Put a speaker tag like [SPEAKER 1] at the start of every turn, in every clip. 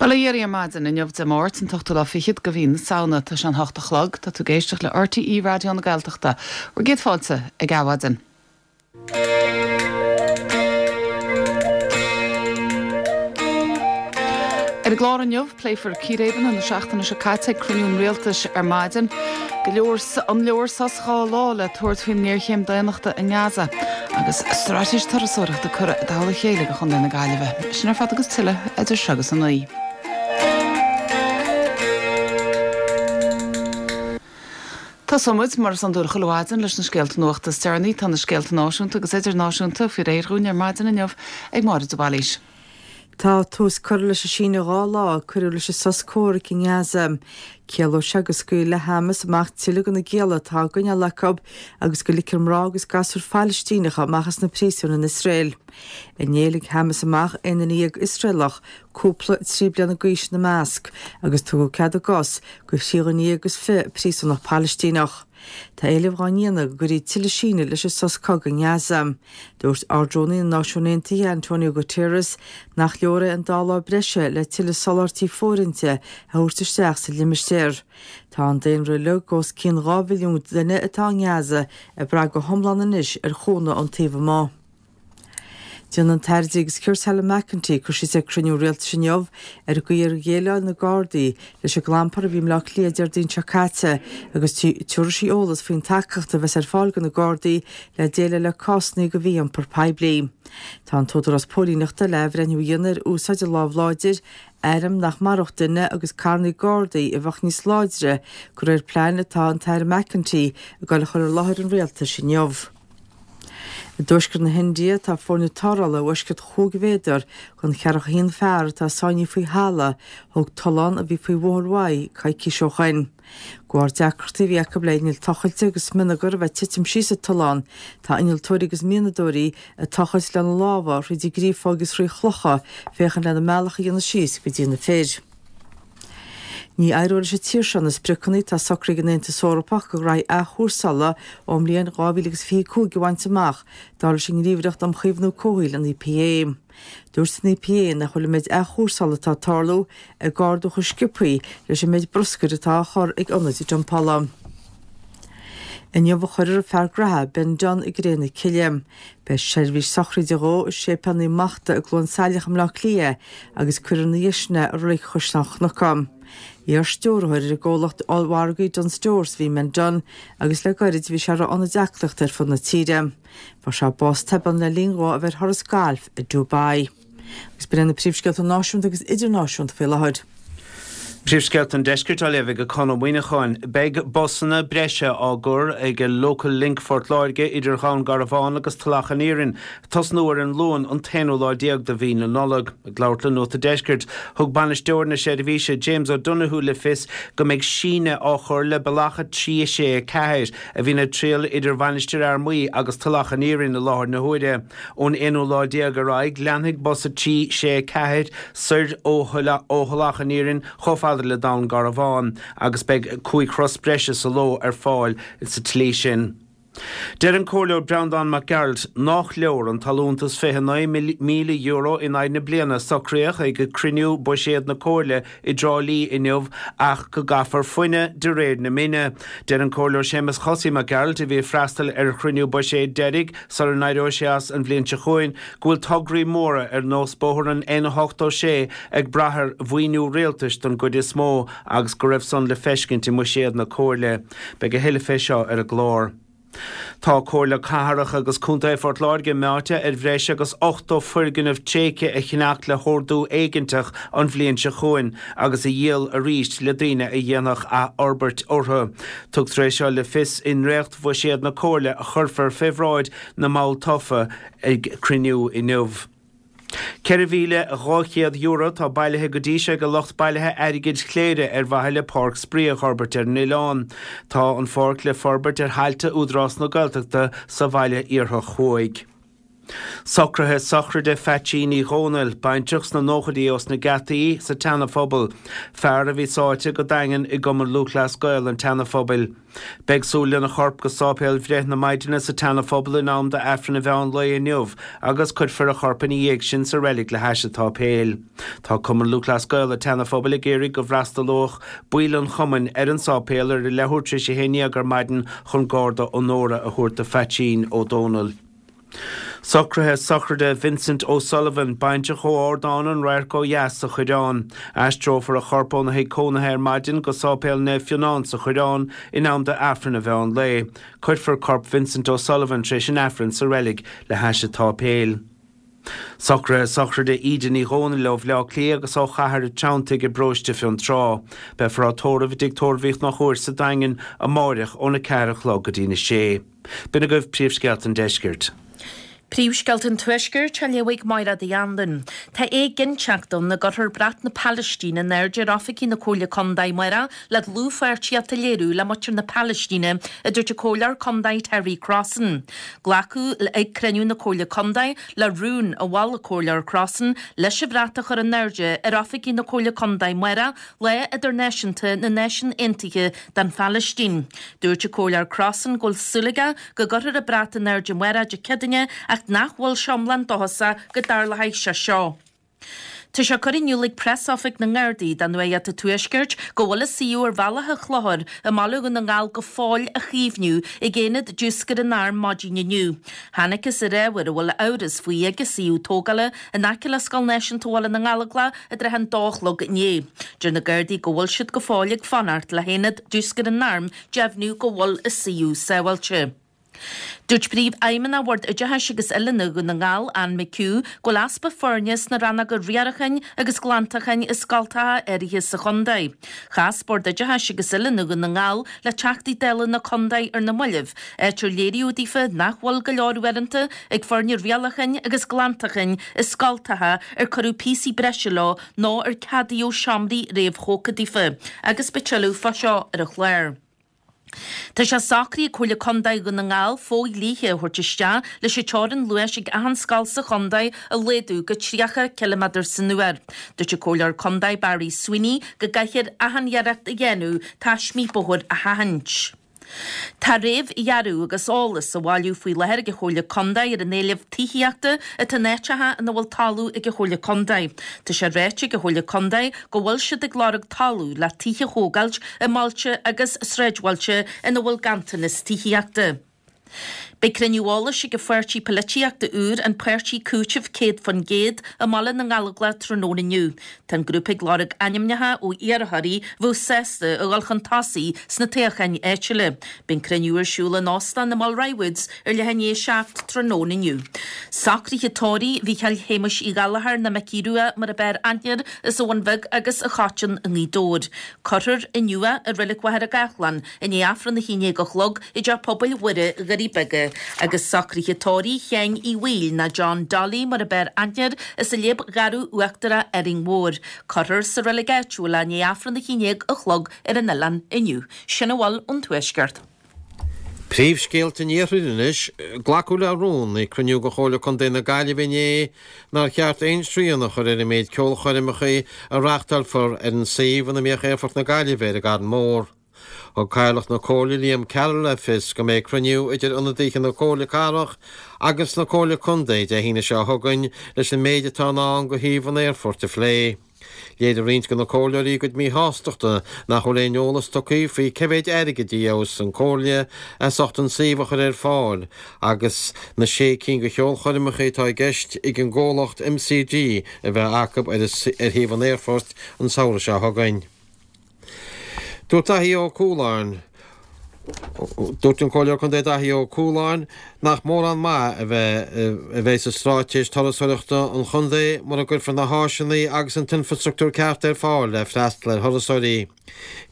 [SPEAKER 1] Bail ó Dhia oraibh ar maidin inniu Dé Máirt, an t-ochtú lá fichead de mhí na Samhna. Tá sé an hocht a chlog. Tá tú ag éisteacht le RTÉ Raidió na Gaeltachta. Bhur gcéad fáilte ag Adhmhaidin. Ar an gclár inniu, pléifear círéibeanna na seachtaine seo caite ag cruinniú an Rialtais ar maidin. Go leor, an leor sos 2 lá le tabhairt faoin ngéarchéim daonnachta i nGaza agus straitéis turasóireachta curtha i dtoll a chéile do Chontae na Gaillimhe. Sin ar fad agus tuilleadh idir seo agus a 9. Tosóidh muid, mar is iondúil chuile mhaidin, leis na scéalta nuachta is deireanaí. Tá na scéalta náisiúnta agus idirnáisiúnta faoi réir dhúinn ar maidin inniu ag Máire de Bhailís.
[SPEAKER 2] Tá tús curtha leis an síneadh 2 lá a cuireadh leis an sos comhraic i nGaza. Ciallóidh sé go scaoilfidh Hamas amach tuilleadh de na gialla atá á gcoinneáil acu agus go ligfear mná agus gasúir Phailistíneacha amach as na príosúin in Iosrael. Inné lig Hamas amach 11 duine Iosraelach, cúpla 3 bliana d'aois ina measc, agus tugadh cead a gcos do thrí dhuine dhéag is fiche príosúnach Pailistíneach. Tá éilimh dhá ndéanamh go gcuirfí tuilleadh sínidh leis an sos cogaidh i nGaza. Dúirt Ard-Rúnaí na Náisiún Aontaithe Antonio Guterres nach leor é an dá lá breise le tuilleadh soláthairtí fóirithinte a thabhairt isteach sa limistéar. Tá an daonra uilig, os cionn 2 mhilliún duine atá i nGaza, ag brath go hiomlán anois ar chúnamh ón taobh amuigh. Déanfaidh an tAire Dlí agus Cirt Helen McEntee cur síos ag cruinniú rialtais inniu ar an gcaoi ar dhéileáil na Gardaí leis an gclampar a bhí i mBleá Cliath Déardaoin seo caite agus tabharfaidh sí eolas faoin tacaíocht a bheas ar fáil do na Gardaí le déileáil le cásanna de mhí-iompar poiblí. Tá an tÚdarás Póilíneachta le athbhreithniú a dhéanamh ar úsáid an lámh láidir, airm nach maródh duine agus carranna Gardaí a bheadh níos láidre, de réir plean atá an tAire McEntee ag dul a chur i láthair an rialtais inniu. I dtuaisceart na hIndia, tá foirne tarrthála i bhfoisceacht chúig mhéadar den cheathracha haon fear atá sáinnithe faoi thalamh thóg tollán a bhí faoi Bhóthar Mhaigh coicís ó shoin. De bharr deacrachtaí a bhí acu le innill tochailte agus smionagar a bheith ag titim síos sa tollán, tá innealtóirí agus mianadóirí ag tochailt lena lámha thríd an gcreafóig agus thrí chlocha féachaint lena mbealach a dhéanamh síos go dtí na fir. Ní éireoidh leis an tír seo na spriocanna atá socraithe ag an Aontas Eorpach do ghraithí athchúrsála ón mbliain 2025 a bhaint amach, dar leis an nGníomhaireacht um Chaomhnú Comhshaoil, an EPA. Dúirt an EPA nach bhfuil an méid athchúrsála atá ag tarlú ag ardú chomh sciobthaí leis an méid bruscair atá á chur ag ionaid dumpála. Inniu a chuirfear an fear graithe Ben Dunne i gcré na cille. Beidh seirbhís sochraide dhó i Séipéal Naomh Machta i gCluain Saileach i mBleá Cliath agus cuirfear ina dhiaidh sin é i Reilig Chaisleán Cnuca. Iar-stiúrthóir ar an gcomhlacht ollmhargaidh Dunnes Stores a bhí i mBen Dunne agus le gairid bhí sé ag rith ionaid aclaíochta ar fud na tíre. Fuair sé bás tobann le linn dhó a bheith ar thuras gailf i Dubai. Agus b'in iad na príomhscéalta náisiúnta agus idirnáisiúnta faoi láthair.
[SPEAKER 3] Príomhscéalta an Deiscirt á léamh ag Conn Ó Muíneacháin. Beidh busanna breise á gcur ag Local Link Phort Láirge idir Dhún Garbhán agus Tulach an Iarainn ag tosnú ar an Luan an t-aonú lá déag de mhí na Nollag. Ag labhairt le Nuacht an Deiscirt, thug bainisteoir na seirbhíse James O'Donoghue le fios go mbeidh síneadh á chur le bealach 3, 6, 4 a bhíonn ag triall idir Mhainistir Fhear Maí agus Tulach an Iarainn i láthair na huaire. Ón aonú lá déag ar aghaidh, leanfaidh bus 3, 6, 4 soir ó Thulach an Iarainn chomh fada le Dún Garbhán agus beidh 5 thuras breise sa ló ar fáil sa tslí sin. Deir an Comhairleoir Breandán Mac Gearailt nách leor an t-allúntas €29,000 in aghaidh na bliana a socraíodh ag cruinniú buiséad na Comhairle i dTrá Lí inniu ach go gcaithfear fuineadh de réir na mine. Deir an Comhairleoir Séamus Chosaí Mac Gearailt, a bhí ag freastal ar chruinniú buiséid deiridh sula n-éireoidh sé as an bhliain seo chugainn, go bhfuil tograí móra ar nós bóthar an N86 ag brath ar mhaoiniú rialtais don gcuid is mó agus go raibh san le feiscint i mbuiséad na Comhairle. Beidh a thuilleadh fé seo ar an gclár. Tá Comhairle Cathrach agus Contae Phort Láirge meáite ar bhreis agus 80 foirgneamh tréigthe a cheannach le hordú éiginteach an bhliain seo chugainn agus a dhíol arís le daoine a dhéanfadh athfhorbairt orthu. Tugtar é seo le fios i ndréacht-bhuiséad na Comhairle a chuirfear fé bhráid na mball tofa ag cruinniú inniu. €4,200 atá bailithe go dtí seo ag lucht bailithe airgid Chléire ar mhaithe le páirc spraoi a fhorbairt ar an oileán. Tá an pháirc le forbairt ar thailte Údarás na Gaeltachta sa bhaile Iarthach Thuaidh. Socruithe sochraide Pheaitsín Uí Dhónaill, baintreach sna nóchaidí ós na Geataí sa tSeana Phobal, fear a bhí sáite go daingean i gCumann Lúthchleas Gael an tSeana Phobail. Beidh súil lena chorp go Sáipéal Bhreith na Maighdine sa tSeana Phobal in am d'Aifreann an mheán lae inniu agus cuirfear a chorp ina dhiaidh sin sa reilig le hais an tsáipéil. Tá Cumann Lúthchleas Gael an tSeana Phobail ag iarraidh go bhfreastalódh baill an chumainn ar an sáipéal ar a leathuair tar éis 11 ar maidin chun garda onóra a thabhairt do Pheaitsín Ó Dónaill. Socruithe sochraide Vincent O'Sullivan, baintreach ó Ardán an Radhairc ó dheas sa Choireán. Aistreofar a chorp óna thigh cónaithe ar maidin go Sáipéal Naomh Fionán sa Choireán in am d'Aifreann an mheán lae. Cuirfear corp Vincent O'Sullivan tar éis an Aifrinn sa reilig le hais an tsáipéil. Socruithe sochraide Íde Ní Dhomhnaill ó Bhleá Cliath agus ó Chathair an Treanntaigh i bparóiste Fionntrá. Beifear á tórramh i dTigh Tórraimh Uí Chonchúir sa Daingean amáireach óna 4 a chlog go dtína 6. B'in agaibh príomhscéalta an deiscirt.
[SPEAKER 4] Príomhscéalta an Tuaiscirt á léamh ag Máire Uí Anluain. Tá éiginnteacht ann go gcuirfear brat na Palaistíne in airde ar oifigí na Comhairle Contae amárach le dlúthpháirtíocht a léiriú le muintir na Palaistíne, a dúirt an Comhairleoir Contae Terry Crossan. Glacadh ag cruinniú na Comhairle Contae le rún a mhol an Comhairleoir Crossan leis an bhrat a chur in airde ar oifigí na Comhairle Contae amárach, Lá Idirnáisiúnta na Náisiún Aontaithe don Phalaistín. Dúirt an Comhairleoir Crossan go bhfuil súil aige go gcuirfear an brat in airde amárach Dé Céadaoine ach nach bhfuil sé iomlán dóchasach go dtarlóidh sé seo. Tá sé curtha in iúl ag Preasoifig na nGardaí do Nuacht an Tuaiscirt go bhfuil an suíomh ar Bhealach an Chlochair i mBaile Dhún na nGall go fóill á chaomhnú ag aonad diúscair an Airm maidin inniu. Thángthas ar ábhar a bhfuil amhras faoi ag an suíomh tógála in aice le Scoil Náisiúnta Bhaile na nGallóglach i dtrátha an dó a chlog inné. Deir na Gardaí go bhfuil siad go fóill ag fanacht le haonad diúscair an Airm deimhniú go bhfuil an suíomh sábháilte. Dúirt Príomhfheidhmeannach Bhord Oideachais agus Oiliúna Dhún na nGall, Anne McHugh, go bhfuil easpa foirne sna rannóga riaracháin agus glantacháin i scoltacha áirithe sa chontae. Chas Bord Oideachais agus Oiliúna Dhún na nGall le Teachtaí Dála na contae ar na mallaibh, áit ar léiríodh daofa nach bhfuil go leor uaireanta ag foirne riaracháin agus glantacháin i scoltacha ar cuireadh píosaí breise leo nó ar ceadaíodh seomraí réamhthógtha daofa, agus beidh tuilleadh fá seo ar an chlár. Tá sé socraithe ag Comhairle Contae Dhún na nGall fodhlíthe a thabhairt isteach leis an teorainn luais ag achan scoil sa chontae a laghdú go 30 ciliméadar san uair. Dúirt an Comhairleoir Contae Barry Sweeney go gcaithfear achan iarracht a dhéanamh taismí bóthair a sheachaint. Tá réamhdhearadh agus eolas á bhailiú faoi láthair ag an Chomhairle Contae ar an éileamh tithíochta atá in áiteacha ina bhfuil talamh ag an Chomhairle Contae. Tá sé ráite ag an Chomhairle Contae go bhfuil siad ag lorg talamh le tithe a thógáilt i mbailte agus sráidbhailte ina bhfuil ganntanas tithíochta. Beidh cruinniú eolais ag an pháirtí polaitíochta úr, an Páirtí Cúitimh 100%, i mBaile na nGallóglach tráthnóna inniu. Tá an grúpa ag lorg ainmneacha ó iarrthóirí a bheadh sásta a dhul chun tosaigh sna toghcháin áitiúla. Beidh an cruinniú ar siúl in óstán na Mulroy Woods ar leath i ndiaidh 7 tráthnóna inniu. Socruithe tórraimh Mhícheáil Shéamuis Uí Ghallchóir nó Micí Rua mar ab fhearr aithne air as an Bhun Bheag agus an Choiteann i nGaoth Dobhair. Cuirfear inniu é i Reilig Mhachaire Gathlán i ndiaidh Aifreann 11 a chlog i dTeach Pobail Mhuire, Dhoirí Beaga, agus socruithe tórraimh Sheáin Uí Bhaoill nó John Dolly mar ab fhearr aithne air as an Léib Gharbh Uachtarach, Árainn Mhór. Cuirfear sa reilig áitiúil é i ndiaidh Aifreann 11 a chlog ar an oileán inniu. Sin a bhfuil ón Tuaisceart.
[SPEAKER 5] Príomhscéalta an Iarthair anois. Glacadh le rún ag cruinniú de Chomhairle Contae na Gaillimhe inné nár cheart aon srian a chur ar an méid ceolchoirmeacha a reáchtálfar ar an suíomh ina mbíodh Aerfort na Gaillimhe ar an gCarn Mór. Thug Cathaoirleach na Comhairle Liam Carroll le fios go mbeidh cruinniú idir ionadaithe na Comhairle Cathrach agus na Comhairle Contae Dé hAoine seo chugainn leis an méid atá i ndán do shuíomh an aerfoirt a phlé. Léirigh roinnt de na comhairleoirí a gcuid míshástachta nach bhfuil aon eolas tugtha faoi cé mhéid airgid a gheobhas an Chomhairle as ucht an suíomh a chur ar fáil agus na sé cinn de cheolchoirmeacha atá i gceist ag an gcomhlacht MCG a bheith acu ar shuíomh an aerfoirt an samhradh seo chugainn. Dúirt Daithí Ó Cualáin, Dúirt an Comhairleoir Contae Daithí Ó Cualáin nach mórán maith a bheith a bheidh sa straitéis turasóireachta an chontae mura gcuirfear na háiseanna agus an t-infreastruchtúr ceart ar fáil le freastal ar thurasóirí.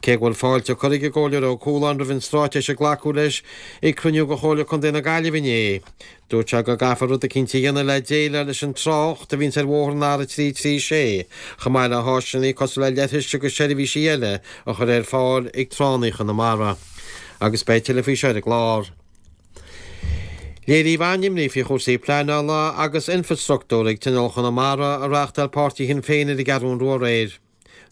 [SPEAKER 5] Cé go bhfuil fáilte curtha ag an gComhairleoir Ó Cualáin roimh an straitéis a glacadh leis ag cruinniú de Chomhairle Contae na Gaillimhe inné, Dúirt sé go gcaithfear rud eicínt a dhéanamh le déileáil leis an trácht a bhíonns ar bhóthar an R336, chomh maith le háiseanna cosúil le leithris agus seirbhísí eile a chur ar fáil ag tránna Chonamara. Agus beidh tuilleadh faoi seo ar an gclár. Léiríodh an-imní faoi chúrsaí pleanála agus infreastruchtúir ag Tionól Chonamara a reáchtáil páirtí Shinn Féin ar an gCeathrú Rua aréir.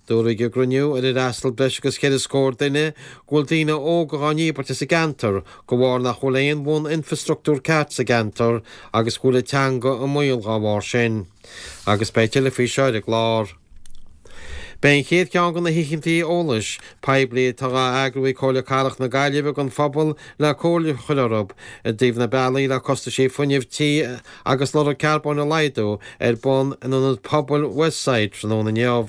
[SPEAKER 5] Dúradh ag an gcruinniú, ar ar fhreastail breis agus cheithre scór duine, go bhfuil daoine óga dhá ndíbirt as an gceantar de bharr nach bhfuil aon bhun-infreastruchtúr ceart sa gceantar agus go bhfuil an teanga i mbaol dhá bharr sin. Agus beidh tuilleadh faoi seo ar an gclár. Beidh an chéad cheann de na hoícheantaí eolais poiblí atá á eagrú ag Comhairle Cathrach na Gaillimhe don phobal le comhairle a chur orthu i dtaobh na bealaí le costaisí fuinnimh tí agus lorg carbóin a laghdú ar bun in Ionad Pobail Westside tráthnóna inniu.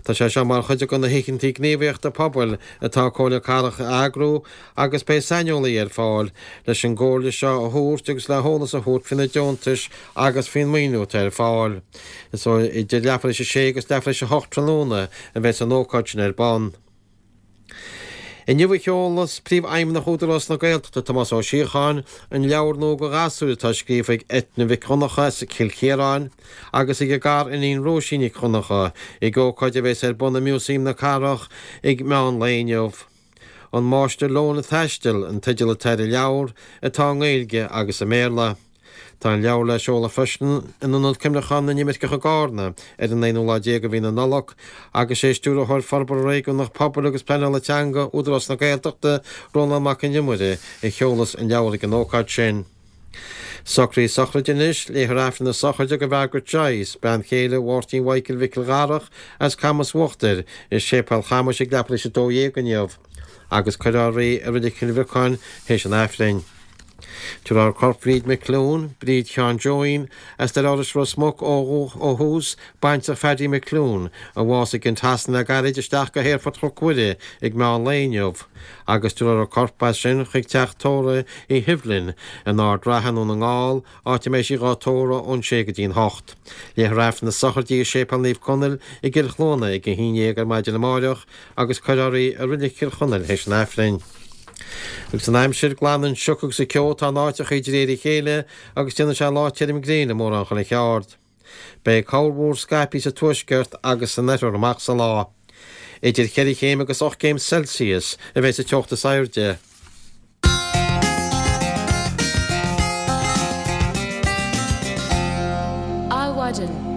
[SPEAKER 5] Tá sé seo mar chuid de na hoícheantaí gníomhaíochta pobail atá Comhairle Cathrach a eagrú agus beidh saineolaí ar fáil leis an gcomhairle seo a thabhairt agus le heolas a thabhairt faoi na deontais agus faoin maoiniú atá ar fáil. Is ó idir leathuair théis a sé agus leathuair théis a hocht tráthnóna a bheas an ócáid sin ar bun. Inniu a sheolas Príomhfheidhmeannach Údarás na Gaeltachta, Tomás Ó Síocháin, an leabhar nua do ghasúir atá scríofa ag Eithne Mhic Dhonncha as Cill Chiaráin agus ag a gar-iníon Róisín Nic Dhonncha ag ócáid a bheas ar bun i Músaem na Cathrach ag meán lae inniu. An Máistir Leon ag Taisteal an teideal atá ar an leabhar, atá i nGaeilge agus i mBéarla. Tá an leabhar le seoladh freisin in Ionad Cuimhneacháin na nImirceach i gCarna ar an aonú lá déag de mhí na Nollag agus sé Stiúrthóir Forbartha Réigiúnach Pobail agus Pleanála Teanga Údarás na Gaeltachta, Rónán Mac Con Iomaire, a sheolas an leabhar ag an ócáid sin. Socruithe sochraide anois, Léifear Aifreann na sochraide do Mhargaret Joyce, bean chéile Mháirtín Mhichael Mhicil Dharach as Camas Uachtair, i Séipéal Chamais ag leathuair théis 12 inniu agus cuirfear í i Reilig Chill Bhriocáin théis an Aifrinn. Tabharfar corp Bhríd McClune, Bríd Sheáin Joeín, as Doire Iorrais Ros Muc ó thús, baintreach Phaddy McClune, a bhásaigh in Shasana le gairid, isteach go hAerfort Chnoc Mhuire ag meán lae inniu agus tabharfar a corp as sin chuig teach tórraimh Uí Shibhlin in Ard Ratha i nDún na nGall, áit a mbeidh sí dhá tórramh ón sé go dtí'n hocht. Léifear Aifreann na sochraide i Séipéal Naomh Conaill i gCill Chluana ag a haon dhéag ar maidin amáireach agus cuirfear í i Reilig Chill Chonaill théis an Aifrinn. Agus an aimsir, glanfaidh an sioc agus an ceo atá in áiteachaí de réir a chéile agus déanfaidh sé lá tirim gréine mórán chuile cheard. Beidh corrmhúr scaipthe sa tuaisceart agus san oirthear amach sa lá. Idir cheithre chéim agus 8 gcéim Celsius a bheidh sa teocht is airde.
[SPEAKER 1] Adhmhaidin.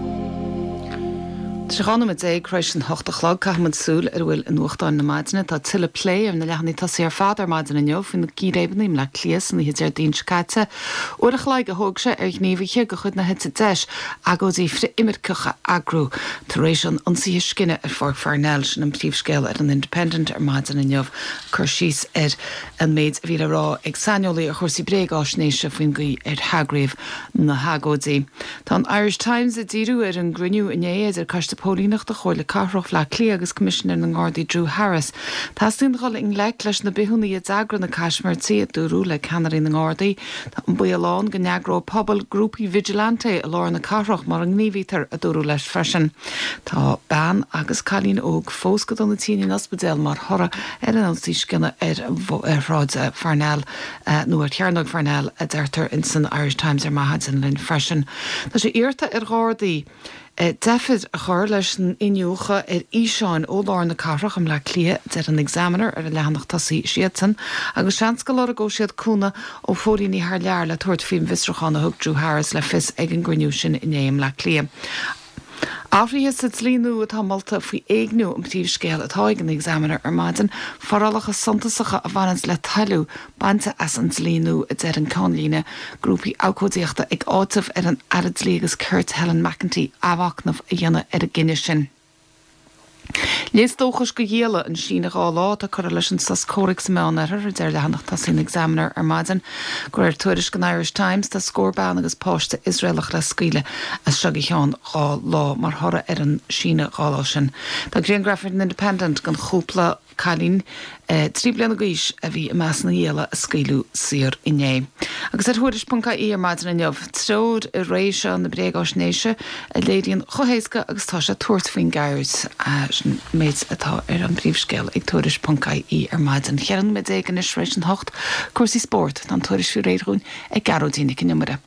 [SPEAKER 1] Tá sé 12 nóiméad tar éis an hocht a chlog. Caithfidh muid súil ar a bhfuil i nuachtáin na maidine. Tá tuilleadh plé ar na leathanaigh tosaigh ar fad ar maidin inniu faoi na círéibeanna i mBleá Cliath san oíche Déardaoin seo caite. Uair a chloig a thóg sé ar ghníomhaithe de chuid na heite deis agóidí frith-imirceach a eagrú tar éis an ionsaithe scine ar Pháirc Pharnell. Sin an príomhscéal ar an Independent ar maidin inniu. Cur síos ar an méid a bhí le rá ag saineolaí ar chúrsaí bréagáisnéise faoin gcaoi ar heagraíodh na hagóidí. Tá an Irish Times ag díriú ar an gcruinniú inné idir Coiste Póilíneachta Chomhairle Cathrach Bhaile Átha Cliath agus Coimisinéir na nGardaí Drew Harris. Teastaíonn dhul i ngleic leis na bithiúnaigh a d'eagraigh na caismirtí, a dúradh le ceannairí na nGardaí. Tá an baol ann go n-eagróidh pobail grúpaí vigilante i lár na cathrach mura ngníomhaítear, a dúradh leis freisin. Tá bean agus cailín óg fós go dona tinn in ospidéal mar thoradh ar an ionsaí scine ar Shráid Pharnell, nó ar Chearnóg Pharnell, a deirtear in san Irish Times ar maidin linn freisin. Tá sé iarrta ar Ghardaí deifir a chur leis an iniúchadh ar fhíseáin ó lár na cathrach i mBleá Cliath, a deir an Examiner ar a leathanach tosaigh siadsan, agus seans go lorgóidh siad cúnamh ó phóilíní thar lear le tabhairt faoin bhfiosrúchán a thug Drew Harris le fios ag an gcruinniú sin inné i mBleá Cliath. Athruithe sa dlí nua atá molta faoi éigniú an príomhscéal atá ag an Examiner ar maidin, forálacha suntasacha a bhaineanns le toiliú bainte as an dlí nua, a deir an ceannlíne. Grúpaí abhcóidíochta ag áiteamh ar an Aire Dlí agus Cirt Helen McEntee athmhachnamh a dhéanamh ar an gcinneadh sin. Léas dóchais do ghialla an síneadh 2 lá atá curtha leis an sos comhraic sa Meánoirthear, a deir leathanach tosaigh an Examiner ar maidin. De réir tuairisc an Irish Times, tá scór bean agus páiste Iosraelach le scaoileadh as seo go ceann 2 lá mar thoradh ar an síneadh 2 lá sin. Tá grianghraf ar an Independent den chúpla. Cailín 3 bliana d'aois a bhí i measc na ngialla a scaoileadh saor inné. Agus ar Thuairisc.ie ar maidin inniu, treoir i ré seo na bréagáisnéise a léiríonn chomh héasca agus atá sé tabhairt faoin gceird. Sin an méid atá ar an bpríomhscéal ag Tuairisc.ie ar maidin. 14 nóiméad anois tar éis an hocht. Cúrsaí spóirt. Tá an tuairisc faoi réir dhúinn ag Gearóidín Nic an Iomaire.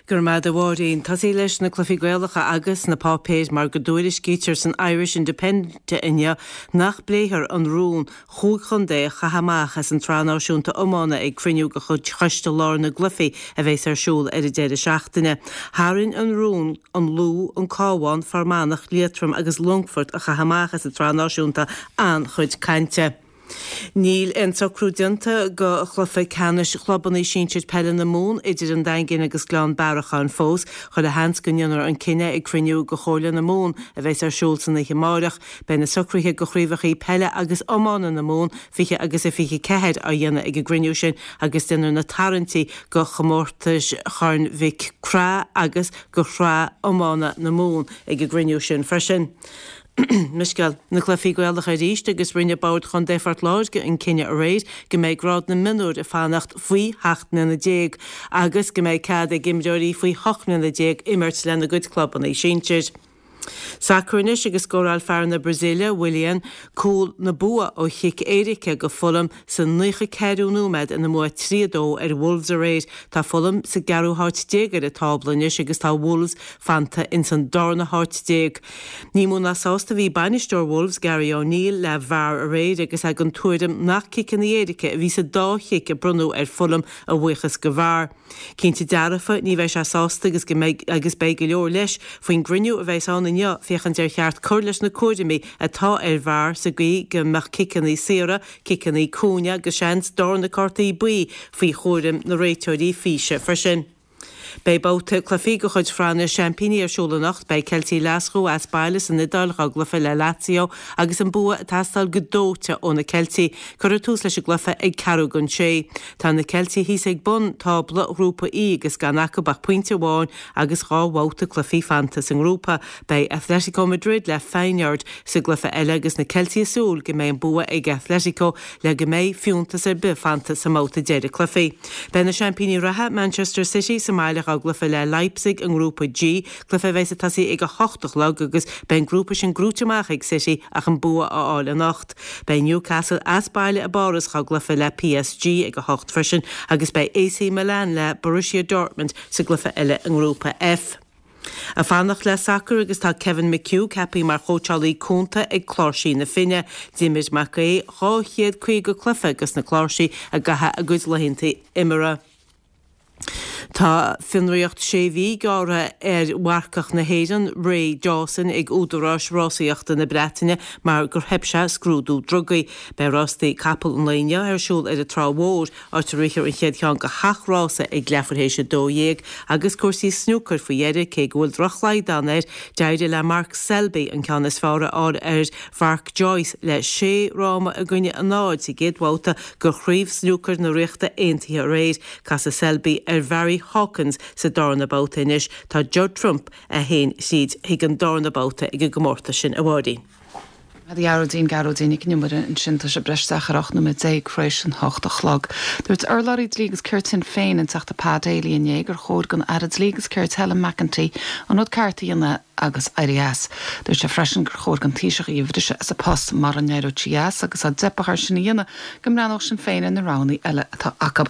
[SPEAKER 6] Go raibh maith agat a Mháirín. Tosaí leis na cluichí Gaelacha agus na páipéir mar go dtuairiscítear san Irish Independent inniu nach bpléifear an rún chúig chontae a chaitheamh amach as an tSraith Náisiúnta Iomána ag cruinniú de chuid Choiste Láir na gCluichí a bheas ar siúl ar an deireadh seachtaine. Tharraing an rún an Lú, an Cabhán, Fear Manach, Liatroim agus Longfort a chaitheamh amach as an tSraith Náisiúnta an-chuid cainte. Níl aon socrú déanta do chluiche ceannais chlubanna sinsir peile na Mumhan idir an Daingean agus Gleann Bearacháin fós. Chuile sheans go ndéanfar an cinneadh ag cruinniú de Chomhairle na Mumhan a bheas ar siúl san oíche amáireach. Beidh na socruithe do chraobhacha peile agus iomána na Mumhan 20 agus 24 á dhéanamh ag an gcruinniú sin agus déanfar na tarraingtí do chomórtais Chorn Mhic Craith agus do Shraith Iomána na Mumhan ag an gcruinniú sin freisin. Mo scéal, na cluichí Gaelacha arís agus rinne Bord Chontae Phort Láirge an cinneadh aréir go mbeidh grád na mionúr ag fanacht faoi sheacht mbliana déag agus go mbeidh cead ag imreoirí faoi hocht mbliana déag imirt lena gcuid clubanna sinsir. Sacar anois agus scóráil fear na Brasaíle, Willian, cúl na bua ó chic éirice go Fulham sa 94ú nóiméad ina mbua 3, 2 ar Wolves aréir. Tá Fulham sa gceathrú háit déag ar an tábla anois agus tá Wolves fanta ins an darna háit déag. Ní mó ná sásta a bhí bainisteoir Wolves, Gary O'Neill, le VAR aréir agus é den tuairim nach ciceanna éirice a bhí sa dá chic a bronnadh ar Fulham a bhuíochas go VAR. Cinnte dearfa, ní bheidh sé sásta agus go mbeidh agus beidh go leor leis faoin gcruinniú a bheas ann inniu féachaint ar cheart cur leis na cúraimí atá ar VAR sa gcaoi go mbeadh ciceanna saora, ciceanna cúinne agus seans darna cártaí buí faoi chúram na réiteoirí físe freisin. Beidh babhta cluichí de chuid Shraith na Seaimpíní ar siúl anocht. Beidh Ceiltigh Ghlaschú as baile san Iodáil dhá gcluiche le Lazio agus an bua ag teastáil go dóite ó na Ceiltigh. Cuirfear tús leis an gcluiche ag ceathrú don sé. Tá na Ceiltigh thíos ag bun tábla Ghrúpa E agus gan acu ach pointe amháin agus 2 bhabhta cluichí fanta sa ngrúpa. Beidh Atletico Madrid le Feyenoord sa gcluiche eile agus na Ceiltigh ag súil go mbeidh an bua ag Atletico le go mbeidh fiúntas ar bith fanta sa mbabhta deiridh cluichí. Beidh na seaimpíní reatha, Manchester City, sa mbaile dhá gcluiche le Leipzig i nGrúpa G, cluiche a bheas ag tosaí ag 8 a chlog agus beidh an grúpa sin gnóite amach ag City ach an bua a fháil anocht. Beidh Newcastle as baile i bPáras dhá gcluiche le PSG ag 8 freisin agus beidh AC Milan le Borussia Dortmund sa gcluiche eile i nGrúpa F. Ag fanacht le sacar agus tá Kevin McHugh ceaptha mar chóitseálaí cúnta ag Cláirsigh na Finne. D'imir Mac Aodha 250 cluiche dos na Cláirsigh i gcaitheamh a gcuid laethanta imeartha. Tá fionraíocht sé mhí gearrtha ar mharcach na hÉireann, Ray Dawson, ag údaráis rásaíochta na Breataine mar gur theip sé scrúdú drugaí. Beidh rástaí capall an lae inniu ar siúl ar an Trá Mhór, áit a rithfear an chéad cheann de sheacht rása ag leathuair théis 12, agus cúrsaí snúcair faoi dheireadh, cé go bhfuil droch-shlaghdán air, d'éirigh le Mark Selby an ceann is fearr a fháil ar Mhark Joyce le sé fhráma i gcoinne a náid sa gcéad bhabhta de Chraobh Snúcair na Ríochta Aontaithe aréir. Casfaidh Selby ar Bharry Hawkins sa darna babhta anois. Tá Judd Trump a haon thríd chuig an darna babhta ag an gcomórtas sin, a Mháirín.
[SPEAKER 1] A Ghearóidín, Gearóidín Nic an Iomaire ansin, tá sé ag breith isteach ar 18 nóiméad tar éis an hocht a chlog. Dúirt urlabhraí Dlí agus Cirt Shinn Féin, an Teachta Pa Daly inné gur chóir don Aire Dlí agus Cirt Helen McEntee an rud ceart a dhéanamh agus éirí as. Dúirt sé freisin gur chóir don Taoiseach í a bhriseadh as a post mura n-éireodh sí as agus dá dteipfeadh air sin a dhéanamh go mbreathnódh Sinn Féin ar na roghanna eile atá acu.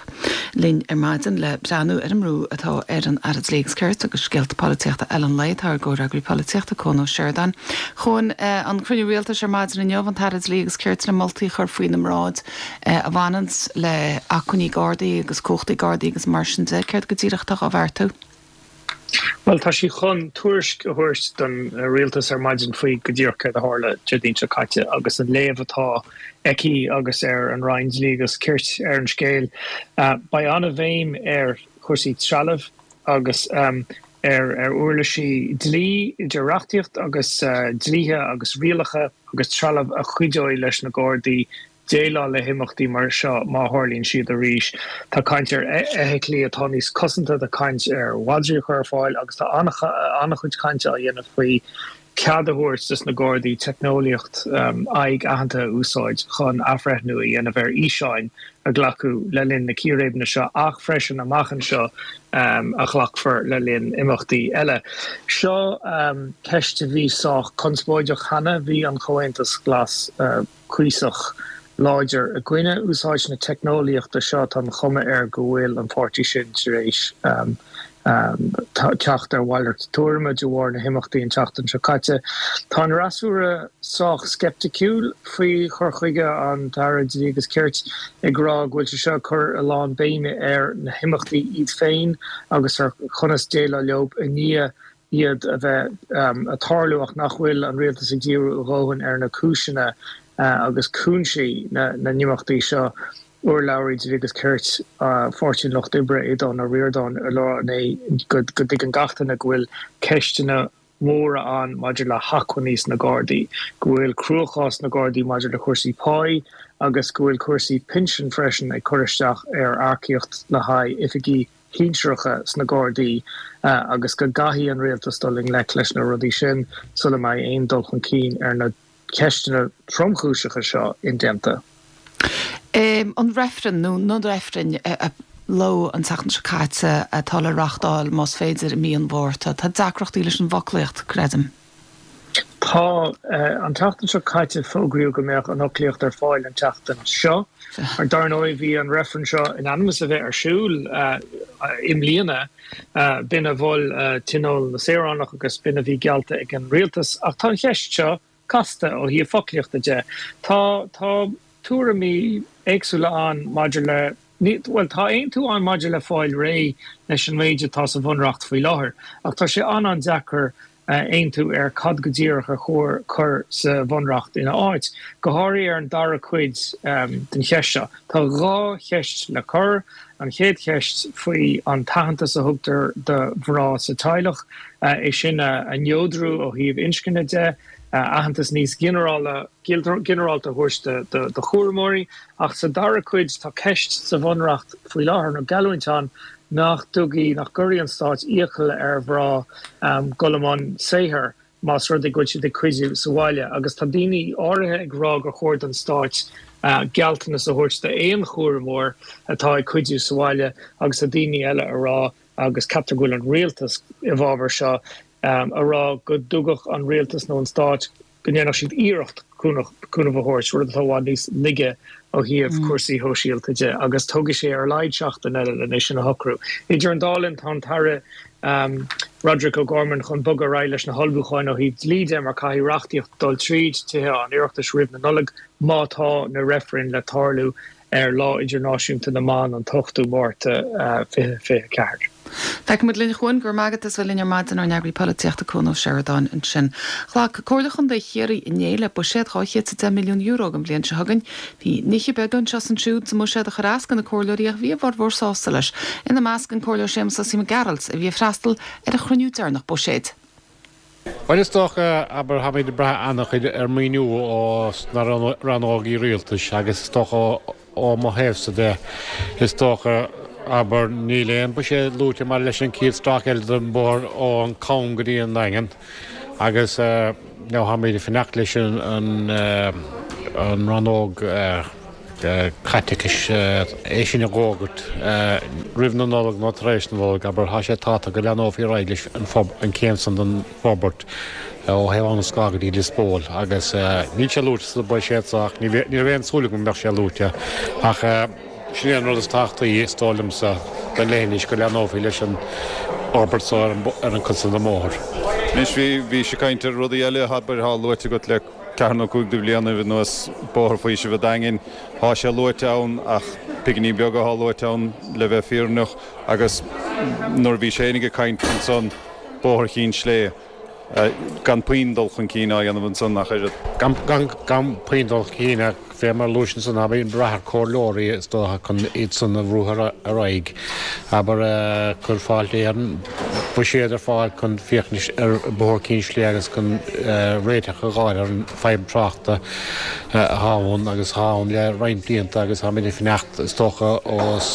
[SPEAKER 1] Linn ar maidin le breathnú ar an mbrú atá ar an Aire Dlí agus Cirt agus scéalta polaitíochta eile an lae tá ár gcomhfhreagraí polaitíochta Cuan Ó Seireadáin. A Chuain, an cruinniú rialtais ar maidin inniu, an tAire Dlí agus Cirt le moltaí a chur faoina mbráid a bhaineanns le acmhainní Gardaí agus cumhachtaí Gardaí agus mar sin de. Céard go díreach atá á bheartú?
[SPEAKER 7] Bhuel, tá sí chun tuairisc a thabhairt don rialtas ar maidin faoi go díreach céard a tharla Déardaoin seo caite agus an léamh atá aici agus ar an Roinn Dlí agus Cirt ar an scéal. Beidh an-bhéim ar chúrsaí trealaimh agus ar uirlisí dlí, idir reachtaíocht agus dlíthe agus rialacha agus trealamh a chuideoidh leis na Gardaí déileáil le himeachtaí mar seo má tharlaíonn siad arís. Tá caint ar fheithiclí atá níos cosanta, tá caint ar mhadraí a chur ar fáil agus tá an-chuid cainte á dhéanamh faoi cead a thabhairt dos na Gardaí teicneolaíocht aghaidh aitheanta a úsáid chun athbhreithniú a dhéanamh ar fhíseáin a glacadh le linn na círéibeanna seo ach freisin amach anseo a ghlacfar le linn imeachtaí eile. Seo ceist a bhí sách conspóideach cheana. Bhí an Comhaontas Glas. cuíosach láidir i gcoinne úsáid na teicneolaíochta seo. Tá an chuma air go bhfuil an páirtí sin tar éis. Teacht ar mhalairt tuairime de bharr na himeachtaí an tseachtain seo caite. Tá an fhreasúra sách sceipticiúil faoi chur chuige an tAire Dlí agus Cirt, ag rá go bhfuil sé seo ag cur a lán béime ar na himeachtaí iad féin agus ar chonas déileáil leo i ndiaidh iad a bheith ag tarlú ach nach bhfuil an rialtas ag díriú a dhóthain ar na cúiseanna agus cúinsí na n-imeachtaí seo. Urlabhraí Dlí agus Cirt Pháirtí an Lucht Oibre, Aodhán Ó Ríordáin, ag rá inné go dtuigeann gach duine go bhfuil ceisteanna móra ann maidir le hacmhainní sna Gardaí, go bhfuil cruachás sna Gardaí maidir le cúrsaí páí agus go bhfuil cúrsaí pinsin freisin ag cur isteach ar earcaíocht le haghaidh oifigigh shinsearacha sna Gardaí agus go gcaithfidh an rialtas dul i ngleic leis na rudaí sin sula mbeidh aon dul chun cinn ar na ceisteanna tromchúiseacha seo indéanta.
[SPEAKER 1] An reifreann, nó na reifrinn, a pléadh an tseachtain seo caite atá le reáchtáil, más féidir, i mí an Mhárta. Tá deacrachtaí leis an bhfoclaíocht, creidim.
[SPEAKER 7] Tá. An tseachtain seo caite fógraíodh go mbeadh an fhoclaíocht ar fáil an tseachtain seo. Dar ndóigh bhí an reifreann seo in ainm is a bheith ar siúl i mbliana. B'in a mhol Tionól na Saoránach agus b'in a bhí geallta ag an rialtas. Ach tá an cheist seo casta ó thaobh foclaíochta de. Tá tá tuairimí éagsúla ann maidir le, bhuel, tá aontú ann maidir le fáil réidh leis an méid atá sa Bhunreacht faoi láthair, ach tá sé an-an-deacair aontú ar cad go díreach ar chóir cur sa Bhunreacht ina áit, go háirithe ar an dara cuid den cheist seo. Tá 2 cheist le cur, an chéad cheist faoi an t-aitheantas a thugtar do mhná sa teaghlach, é sin a neodrú ó thaobh inscne de, aitheantas níos ginearálta a thabhairt do chúramóirí. Ach sa dara cuid tá ceist sa Bhunreacht faoi láthair, nó geallúint ann, nach dtugaí, nach gcuirfidh an Stát iachall ar mhná dul i mbun saothair más rud é go bhfuil siad ag cuidiú sa bhaile. Agus tá daoine áirithe ag rá gur chóir don Stáit gealltanas a thabhairt d'aon chúramóir atá ag cuidiú sa bhaile agus tá daoine eile a rá, agus ceaptar go bhfuil an Rialtas i bhfabhar seo, a rá go dtugadh an Rialtas nó an Stát go ndéanfadh siad iarracht cúnamh a thabhairt, rud atá i bhfad níos laige ó thaobh cúrsaí shóisialta de, agus tógfaidh sé ar a laghad seachtain eile lena sin a shocrú. Idir an dá linn, tá an tAire Roderic O'Gorman chun bogadh ar aghaidh leis na hullmhúcháin ó thaobh dlí de, mar caithfidh reachtaíocht dul tríd Tithe an Oireachtais roimh na Nollag má tá na reifrinn le tarlú ar Lá Idirnáisiúnta na mBan an t-ochtú Márta 2024.
[SPEAKER 1] Feicfidh muid linn chugainn. Go raibh maith agat as bheith linn ar maidin, ár n-eagraí polaitíochta Cuan Ó Seireadáin ansin. Ghlac Comhairle Chontae Chiarraí inné le buiséad €210 milliún don bhliain seo chugainn. Bhí nithe beaga anseo is ansiúd sa mbuiséad a chuir as do na comhairleoirí ach bhí a bhformhór sásta leis, ina measc an Comhairleoir Séamus Osaí Mac Gearailt a bhí ag freastal ar a chruinniú deireanach buiséid.
[SPEAKER 8] Bhuel, is dócha, abair, táimid ag brath an-chuid ar maoiniú ó na rannógaí rialtais agus is dócha ó mo thaobhsa de, is dócha, abair, níl aon buiséad luaite maidir leis an chéad stráice eile den bhóthar ón gCam go dtí an Daingean agus now táimid ag fanacht leis an rannóg. caiteachais é sin a dh'fhógairt roimh na Nollag nó tar éis na Nollag, abair, tá sé tábhachtach go leathnófaí ar aghaidh leis an chéim san den forbairt ó thaobh Abhainn an Scáil go dtí Lios Póil agus níl sé luaite sa bhuiséad so ach ní raibh aon súil agam go mbeadh sé luaite ach sin é an rud is tábhachtaí is dóigh liomsa don leithinis go leathnófaí leis an fhorbairt so ar an gcuid san den mbóthar.
[SPEAKER 9] Anois bhí sé ag caint ar rudaí eile, abair, atá luaite agat le ceathair nó cúig de bhlianaibh anuas, Bóthar Faoisimh an Daingin, thá sé luaite ann ach piginí beaga athá luaite ann le bheith fírinneach agus nuair a bhí sé fhéinig ag caint ansan, Bóthar Chinn Slé, gan puinn dul chun cinn á dhéanamh ansan ach oiread.
[SPEAKER 8] Gan puinn dul chun cinn ach fé mar a luais ansan, abair, ag brath ar comhairleoirí is dócha chun iad san a bhrú ar aghaidh. Abair, chuir Fáilte Éireann buiséad ar fáil chun féachaint ar Bhóthar Chinn Slé agus chun réiteach a dh'fháil ar an fadhb tráchta atá ann agus atá ann le roinnt blianta agus táimid ag fanacht is dócha ós